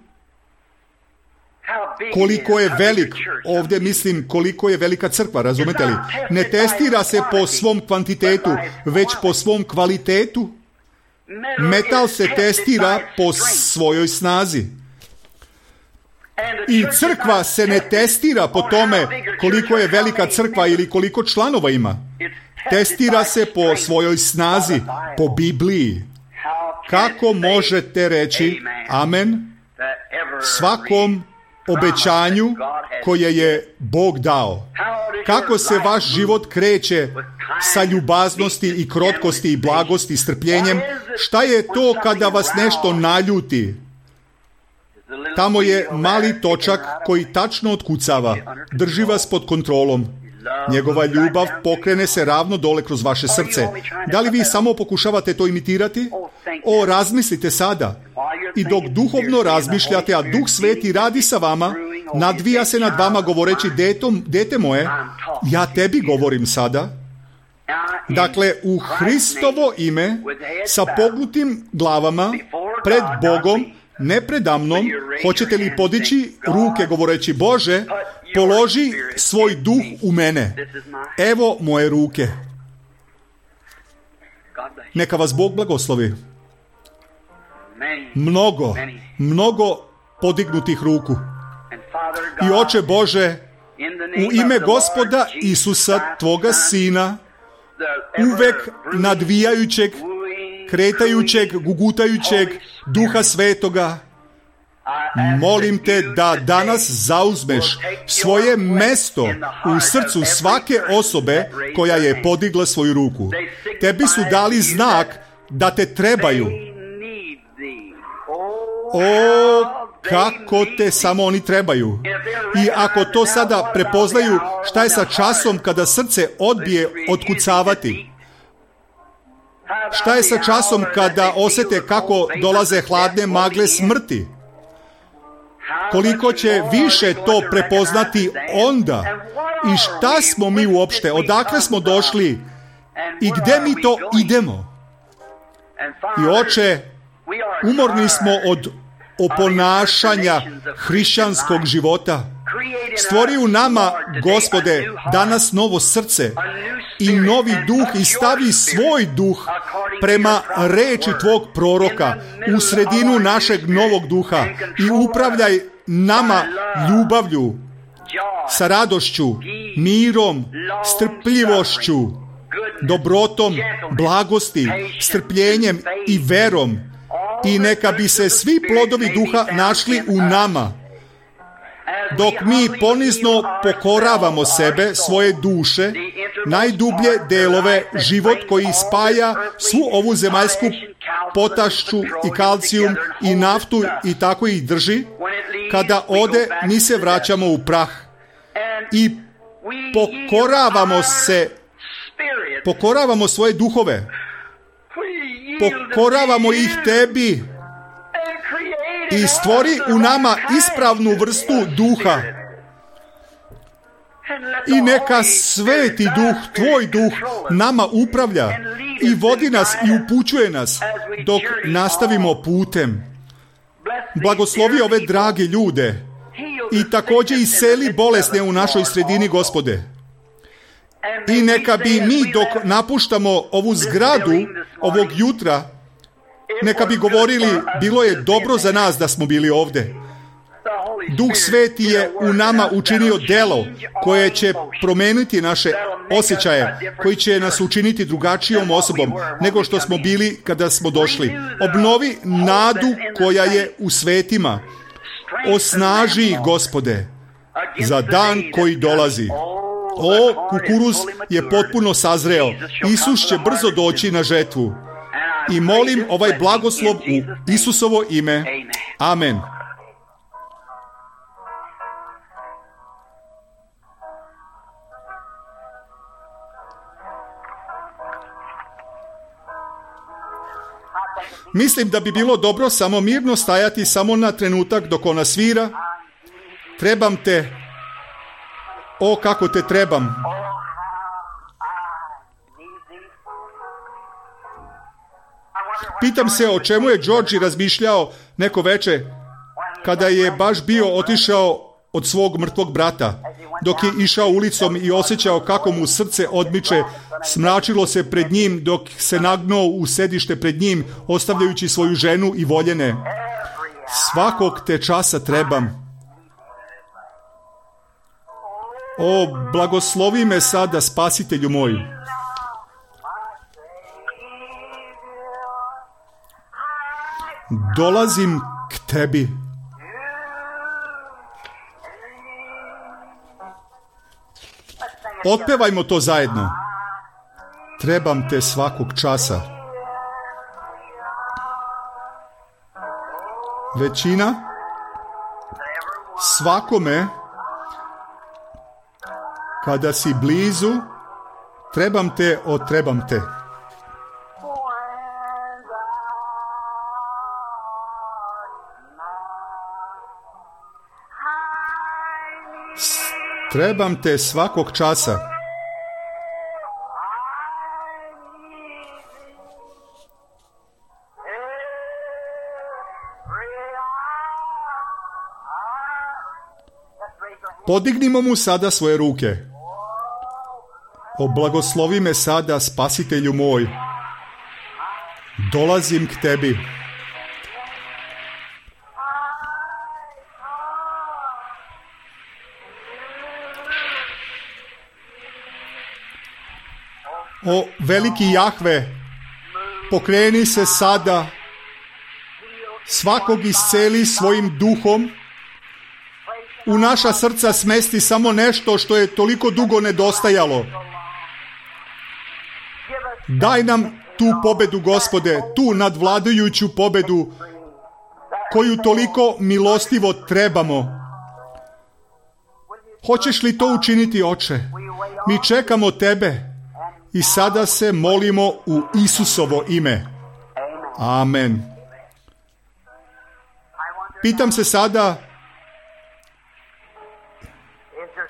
Koliko je velik, ovdje mislim koliko je velika crkva, razumete li? Ne testira se po svom kvantitetu, već po svom kvalitetu. Metal se testira po svojoj snazi. I crkva se ne testira po tome koliko je velika crkva ili koliko članova ima. Testira se po svojoj snazi, po Bibliji. Kako možete reći amen svakom obećanju koje je Bog dao? Kako se vaš život kreće sa ljubaznosti i krotkosti i blagosti i strpljenjem? Šta je to kada vas nešto naljuti? Tamo je mali točak koji tačno otkucava, drži vas pod kontrolom. Njegova ljubav pokrene se ravno dole kroz vaše srce. Da li vi samo pokušavate to imitirati? O, razmislite sada. I dok duhovno razmišljate, a Duh Sveti radi sa vama, nadvija se nad vama govoreći, dete moje, ja tebi govorim sada. Dakle, u Hristovo ime, sa pognutim glavama, pred Bogom, ne predamnom, hoćete li podići ruke govoreći, Bože, položi svoj duh u mene. Evo moje ruke. Neka vas Bog blagoslovi. Mnogo podignutih ruku. I Oče Bože, u ime Gospoda Isusa, Tvoga Sina, uvek nadvijajućeg, kretajućeg, gugutajućeg Duha Svetoga, molim te da danas zauzmeš svoje mesto u srcu svake osobe koja je podigla svoju ruku. Tebi su dali znak da te trebaju. O, kako te samo oni trebaju. I ako to sada prepoznaju, šta je sa časom kada srce odbije otkucavati? Šta je sa časom kada osjete kako dolaze hladne magle smrti? Koliko će više to prepoznati onda? I šta smo mi uopšte? Odakle smo došli? I gdje mi to idemo? I Oče, umorni smo od oponašanja hrišćanskog života. Stvori u nama, Gospode, danas novo srce i novi duh i stavi svoj duh prema reči Tvog proroka u sredinu našeg novog duha i upravljaj nama ljubavlju, sa radošću, mirom, strpljivošću, dobrotom, blagosti, strpljenjem i verom. I neka bi se svi plodovi duha našli u nama dok mi ponizno pokoravamo sebe, svoje duše, najdublje delove, život koji spaja svu ovu zemaljsku potašću i kalcijum i naftu i tako ih drži, kada ode, mi se vraćamo u prah i pokoravamo svoje duhove, pokoravamo ih tebi i stvori u nama ispravnu vrstu duha. I neka sveti duh, tvoj duh, nama upravlja i vodi nas i upućuje nas dok nastavimo putem. Blagoslovi ove drage ljude i također iseli bolesne u našoj sredini, Gospode. I neka bi mi dok napuštamo ovu zgradu ovog jutra, neka bi govorili, bilo je dobro za nas da smo bili ovdje. Duh Sveti je u nama učinio delo koje će promijeniti naše osjećaje, koji će nas učiniti drugačijom osobom nego što smo bili kada smo došli. Obnovi nadu koja je u svetima. Osnaži ih, Gospode, za dan koji dolazi. O, kukuruz je potpuno sazreo. Isus će brzo doći na žetvu. I molim ovaj blagoslov u Isusovo ime. Amen. Mislim da bi bilo dobro samo mirno stajati samo na trenutak dok ona svira. Trebam te. O, kako te trebam. Pitam se o čemu je Georgi razmišljao neko veče kada je baš bio otišao od svog mrtvog brata. Dok je išao ulicom i osjećao kako mu srce odmiče, smračilo se pred njim dok se nagnuo u sedište pred njim, ostavljajući svoju ženu i voljene. Svakog te časa trebam. O, blagoslovi me sada, Spasitelju moj. Dolazim k tebi. Otpevajmo to zajedno. Trebam te svakog časa. Većina, svakome, kada si blizu, trebam te, trebam te. Trebam te svakog časa. Podignimo mu sada svoje ruke. O, blagoslovi me sada, Spasitelju moj. Dolazim k tebi. O, veliki Jahve, pokreni se sada, svakog isceli svojim duhom, u naša srca smesti samo nešto što je toliko dugo nedostajalo. Daj nam tu pobedu, Gospode, tu nadvladajuću pobedu, koju toliko milostivo trebamo. Hoćeš li to učiniti, Oče? Mi čekamo tebe i sada se molimo u Isusovo ime. Amen. Pitam se sada,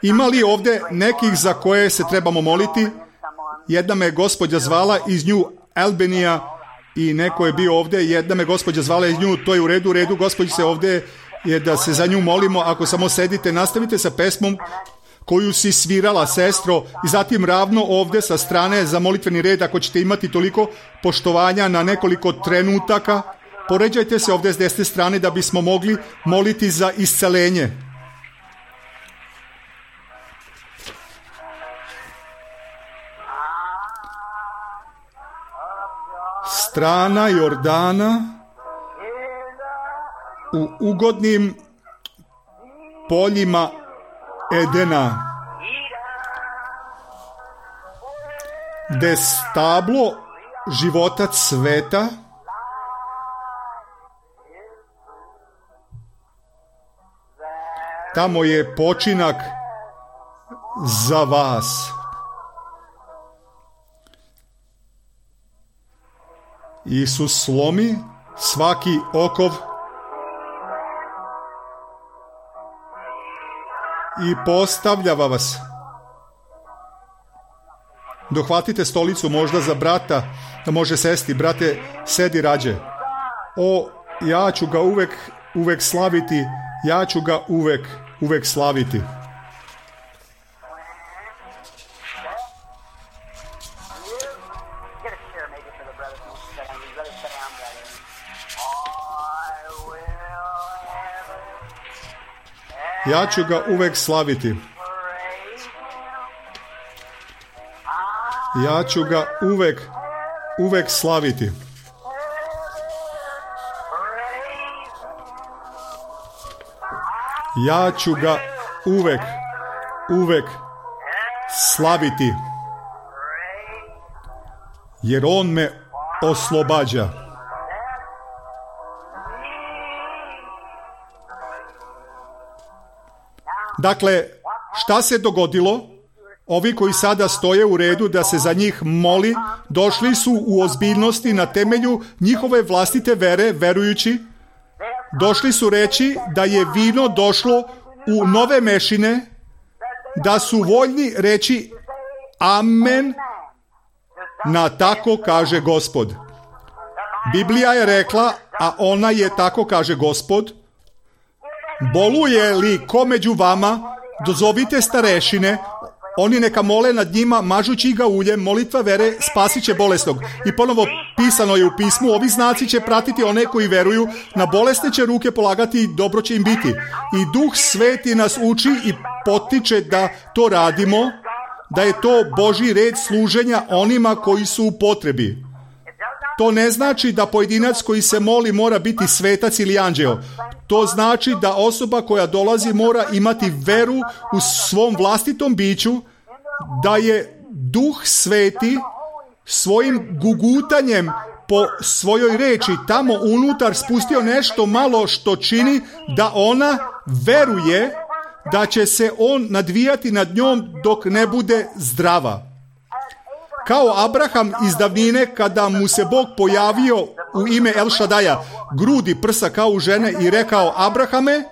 ima li ovdje nekih za koje se trebamo moliti? Jedna me gospođa zvala iz New Albanija i neko je bio ovdje. Jedna me gospođa zvala iz nju, to je u redu. Gospođi se ovdje je da se za nju molimo. Ako samo sedite, nastavite sa pesmom koju si svirala, sestro, i zatim ravno ovdje sa strane za molitveni red, ako ćete imati toliko poštovanja na nekoliko trenutaka, poređajte se ovdje s desne strane da bismo mogli moliti za iscelenje. Strana Jordana u ugodnim poljima Edena, gde stablo života cveta, tamo je počinak za vas. Isus slomi svaki okov i postavljava vas. Dohvatite stolicu možda za brata, da može sesti. Brate, sedi rađe. O, ja ću ga uvek slaviti, ja ću ga uvek slaviti. Ja ću ga uvek slaviti. Ja ću ga uvek slaviti. Ja ću ga uvek slaviti. Jer on me oslobađa. Dakle, šta se dogodilo? Ovi koji sada stoje u redu da se za njih moli, došli su u ozbiljnosti na temelju njihove vlastite vere, verujući. Došli su reći da je vino došlo u nove mešine, da su voljni reći amen na tako kaže Gospod. Biblija je rekla, a ona je tako kaže Gospod. Boluje li ko među vama, dozovite starešine, oni neka mole nad njima, mažući ga uljem, molitva vere spasit će bolesnog. I ponovo pisano je u pismu, ovi znaci će pratiti one koji veruju, na bolesne će ruke polagati i dobro će im biti. I Duh Sveti nas uči i potiče da to radimo, da je to Božji red služenja onima koji su u potrebi. To ne znači da pojedinac koji se moli mora biti svetac ili anđeo. To znači da osoba koja dolazi mora imati veru u svom vlastitom biću, da je Duh Sveti svojim gugutanjem po svojoj reči tamo unutar spustio nešto malo što čini da ona veruje da će se on nadvijati nad njom dok ne bude zdrava. Kao Abraham iz davnine kada mu se Bog pojavio u ime El Šadaja, grudi prsa kao u žene i rekao: Abrahame,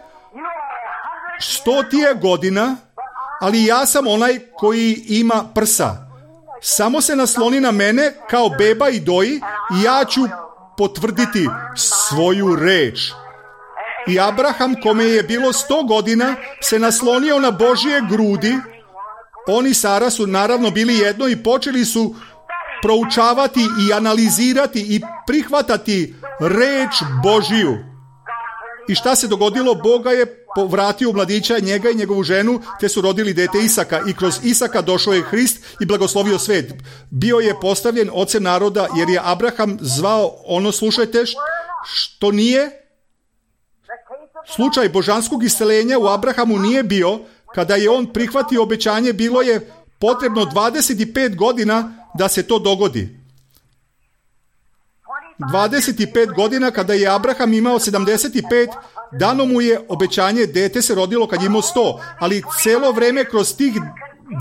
100 ti je godina, ali ja sam onaj koji ima prsa. Samo se nasloni na mene kao beba i doji i ja ću potvrditi svoju reč. I Abraham, kome je bilo 100 godina, se naslonio na Božje grudi. On i Sara su naravno bili jedno i počeli su proučavati i analizirati i prihvatati reč Božiju. I šta se dogodilo? Boga je povratio u mladića, njega i njegovu ženu, te su rodili dete Isaka. I kroz Isaka došao je Hrist i blagoslovio svet. Bio je postavljen ocem naroda, jer je Abraham zvao ono, slušajte, što nije. Slučaj božanskog isceljenja u Abrahamu nije bio. Kada je on prihvatio obećanje, bilo je potrebno 25 godina da se to dogodi. 25 godina kada je Abraham imao 75, dano mu je obećanje, dete se rodilo kad je imao 100, ali celo vreme kroz tih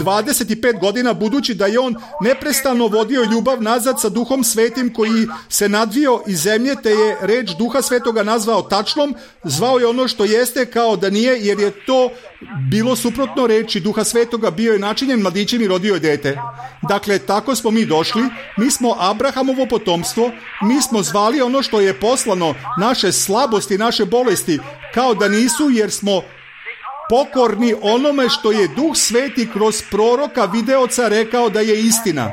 25 godina, budući da je on neprestano vodio ljubav nazad sa Duhom Svetim koji se nadvio iz zemlje, te je reč Duha Svetoga nazvao tačnom, zvao je ono što jeste kao da nije, jer je to bilo suprotno reči Duha Svetoga, bio je načinjen mladićem i rodio je dete. Dakle, tako smo mi došli, mi smo Abrahamovo potomstvo, mi smo zvali ono što je poslano, naše slabosti, naše bolesti, kao da nisu, jer smo pokorni onome što je Duh Sveti kroz proroka videoca rekao da je istina.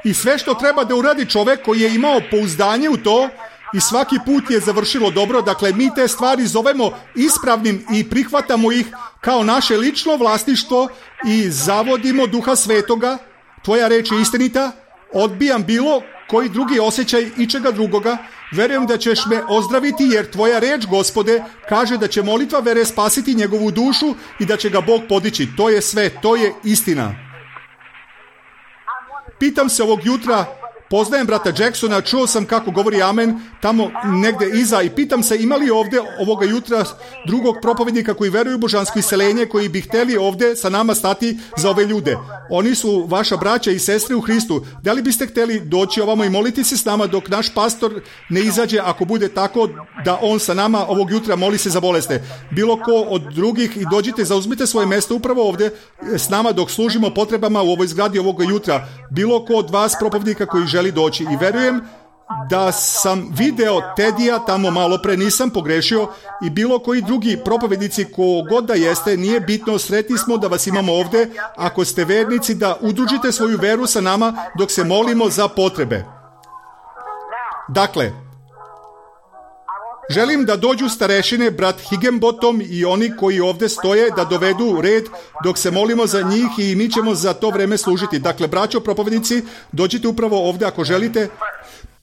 I sve što treba da uradi čovek koji je imao pouzdanje u to i svaki put je završilo dobro, dakle mi te stvari zovemo ispravnim i prihvatamo ih kao naše lično vlasništvo i zavodimo Duha Svetoga, tvoja reč je istinita, odbijam bilo koji drugi osjećaj ičega drugoga, Verujem da ćeš me ozdraviti, jer tvoja reč, Gospode, kaže da će molitva vere spasiti njegovu dušu i da će ga Bog podići. To je sve, to je istina. Pitam se ovog jutra, poznajem brata Jacksona, čuo sam kako govori amen tamo negde iza i pitam se ima li ovdje ovoga jutra drugog propovednika koji veruju u božansko iseljenje, koji bi htjeli ovdje sa nama stati za ove ljude. Oni su vaša braća i sestre u Hristu. Da li biste htjeli doći ovamo i moliti se s nama dok naš pastor ne izađe, ako bude tako da on sa nama ovog jutra moli se za bolesne? Bilo ko od drugih i dođite, zauzmite svoje mjesto upravo ovdje s nama dok služimo potrebama u ovoj zgradi ovoga jutra. Bilo ko od vas propovednika koji želi doći. I verujem da sam video Tedija tamo malo pre, nisam pogrešio, i bilo koji drugi propovednici, ko god da jeste, nije bitno, sretni smo da vas imamo ovdje. Ako ste vernici, da udružite svoju veru sa nama dok se molimo za potrebe. Dakle, želim da dođu starešine, brat Higginbottom i oni koji ovdje stoje, da dovedu red dok se molimo za njih i mi ćemo za to vreme služiti. Dakle, braćo propovednici, dođite upravo ovdje ako želite.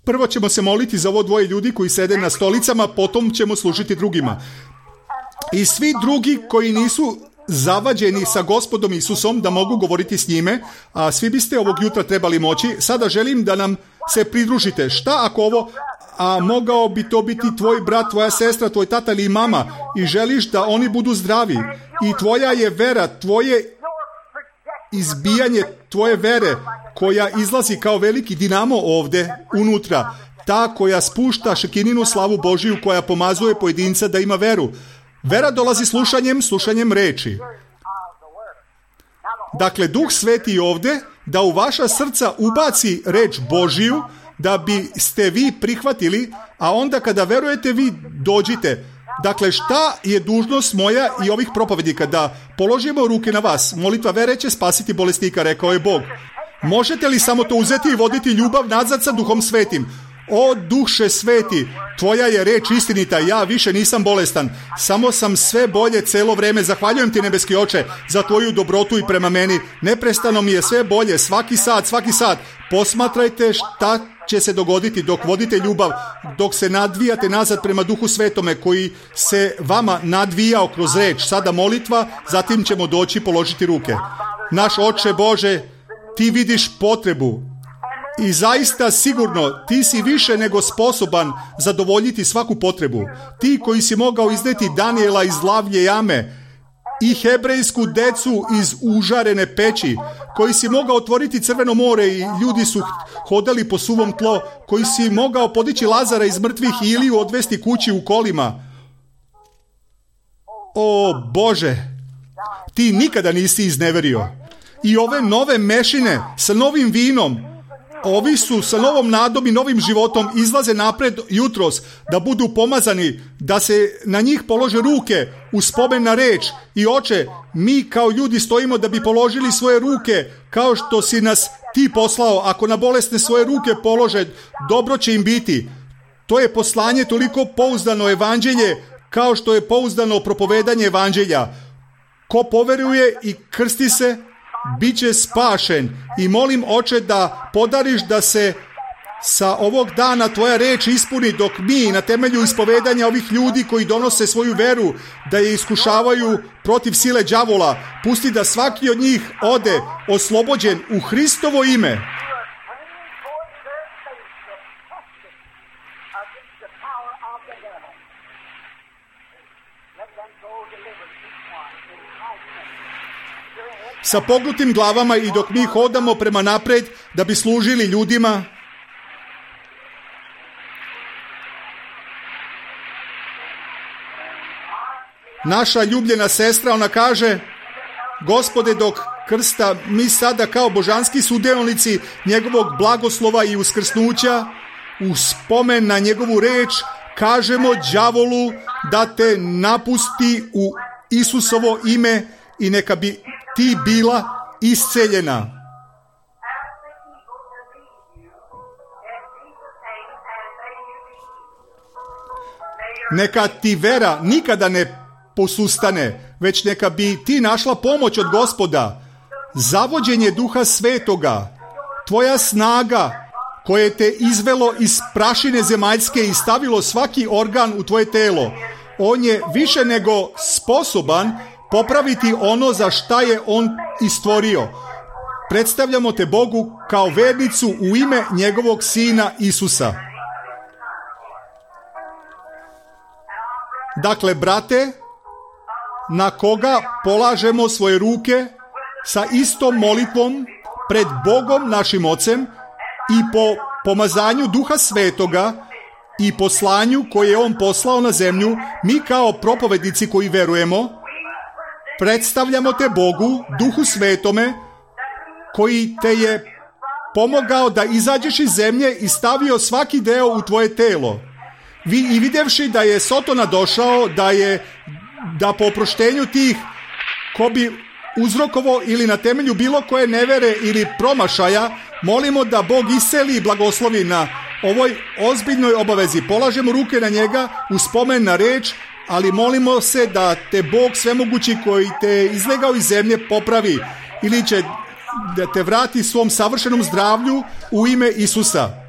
Prvo ćemo se moliti za ovo dvoje ljudi koji sede na stolicama, potom ćemo služiti drugima. I svi drugi koji nisu zavađeni sa Gospodom Isusom da mogu govoriti s njime, a svi biste ovog jutra trebali moći. Sada želim da nam se pridružite. Šta ako ovo, a mogao bi to biti tvoj brat, tvoja sestra, tvoj tata ili mama, i želiš da oni budu zdravi i tvoja je vera, tvoje izbijanje tvoje vere koja izlazi kao veliki dinamo ovdje unutra, ta koja spušta šekininu slavu Božiju, koja pomazuje pojedinca da ima veru. Vera dolazi slušanjem reči. Dakle, Duh Sveti ovdje da u vaša srca ubaci reč Božiju, da biste vi prihvatili, a onda kada verujete vi dođite. Dakle, šta je dužnost moja i ovih propovednika? Da položimo ruke na vas. Molitva vere će spasiti bolesnika, rekao je Bog. Možete li samo to uzeti i voditi ljubav nazad sa Duhom Svetim? O Duše Sveti, tvoja je reč istinita, ja više nisam bolestan, samo sam sve bolje celo vreme. Zahvaljujem ti, nebeski Oče, za tvoju dobrotu i prema meni. Neprestano mi je sve bolje, svaki sat. Posmatrajte šta će se dogoditi dok vodite ljubav, dok se nadvijate nazad prema Duhu Svetome koji se vama nadvijao kroz reč. Sada molitva, zatim ćemo doći položiti ruke. Naš Oče Bože, ti vidiš potrebu i zaista sigurno ti si više nego sposoban zadovoljiti svaku potrebu. Ti koji si mogao izneti Danijela iz lavlje jame i hebrejsku decu iz užarene peći, koji si mogao otvoriti Crveno more i ljudi su hodali po suvom tlo, koji si mogao podići Lazara iz mrtvih i Iliju odvesti kući u kolima. O Bože, ti nikada nisi izneverio. I ove nove mešine sa novim vinom, ovi su sa novom nadom i novim životom, izlaze napred jutros da budu pomazani, da se na njih polože ruke u spomen na reč. I Oče, mi kao ljudi stojimo da bi položili svoje ruke kao što si nas ti poslao. Ako na bolesne svoje ruke polože, dobro će im biti. To je poslanje toliko pouzdano, evanđelje, kao što je pouzdano propovedanje evanđelja. Ko poveruje i krsti se, bit će spašen. I molim, Oče, da podariš da se sa ovog dana tvoja reč ispuni, dok mi na temelju ispovedanja ovih ljudi koji donose svoju veru, da je iskušavaju protiv sile đavola, pusti da svaki od njih ode oslobođen u Hristovo ime. Sa pognutim glavama i dok mi hodamo prema napred da bi služili ljudima, naša ljubljena sestra, ona kaže: Gospode, dok krsta mi sada kao božanski sudionici njegovog blagoslova i uskrsnuća, u spomen na njegovu reč, kažemo đavolu da te napusti u Isusovo ime i neka bi ti bila isceljena. Neka ti vera nikada ne posustane, već neka bi ti našla pomoć od Gospoda, zavođenje Duha Svetoga, tvoja snaga, koje te izvelo iz prašine zemaljske i stavilo svaki organ u tvoje telo. On je više nego sposoban popraviti ono za šta je on i stvorio. Predstavljamo te Bogu kao vernicu u ime njegovog Sina Isusa. Dakle, brate, na koga polažemo svoje ruke sa istom molitvom pred Bogom našim Ocem i po pomazanju Duha Svetoga i poslanju koje je On poslao na zemlju, mi kao propovednici koji verujemo, predstavljamo te Bogu, Duhu Svetome, koji te je pomogao da izađeš iz zemlje i stavio svaki deo u tvoje telo. I vidjevši da je Sotona došao, da po oproštenju tih ko bi uzrokovo ili na temelju bilo koje nevere ili promašaja, molimo da Bog iseli i blagoslovi na ovoj ozbiljnoj obavezi. Polažemo ruke na njega u spomen na reč, ali molimo se da te Bog svemogući koji te izlegao iz zemlje popravi ili će da te vrati svom savršenom zdravlju u ime Isusa.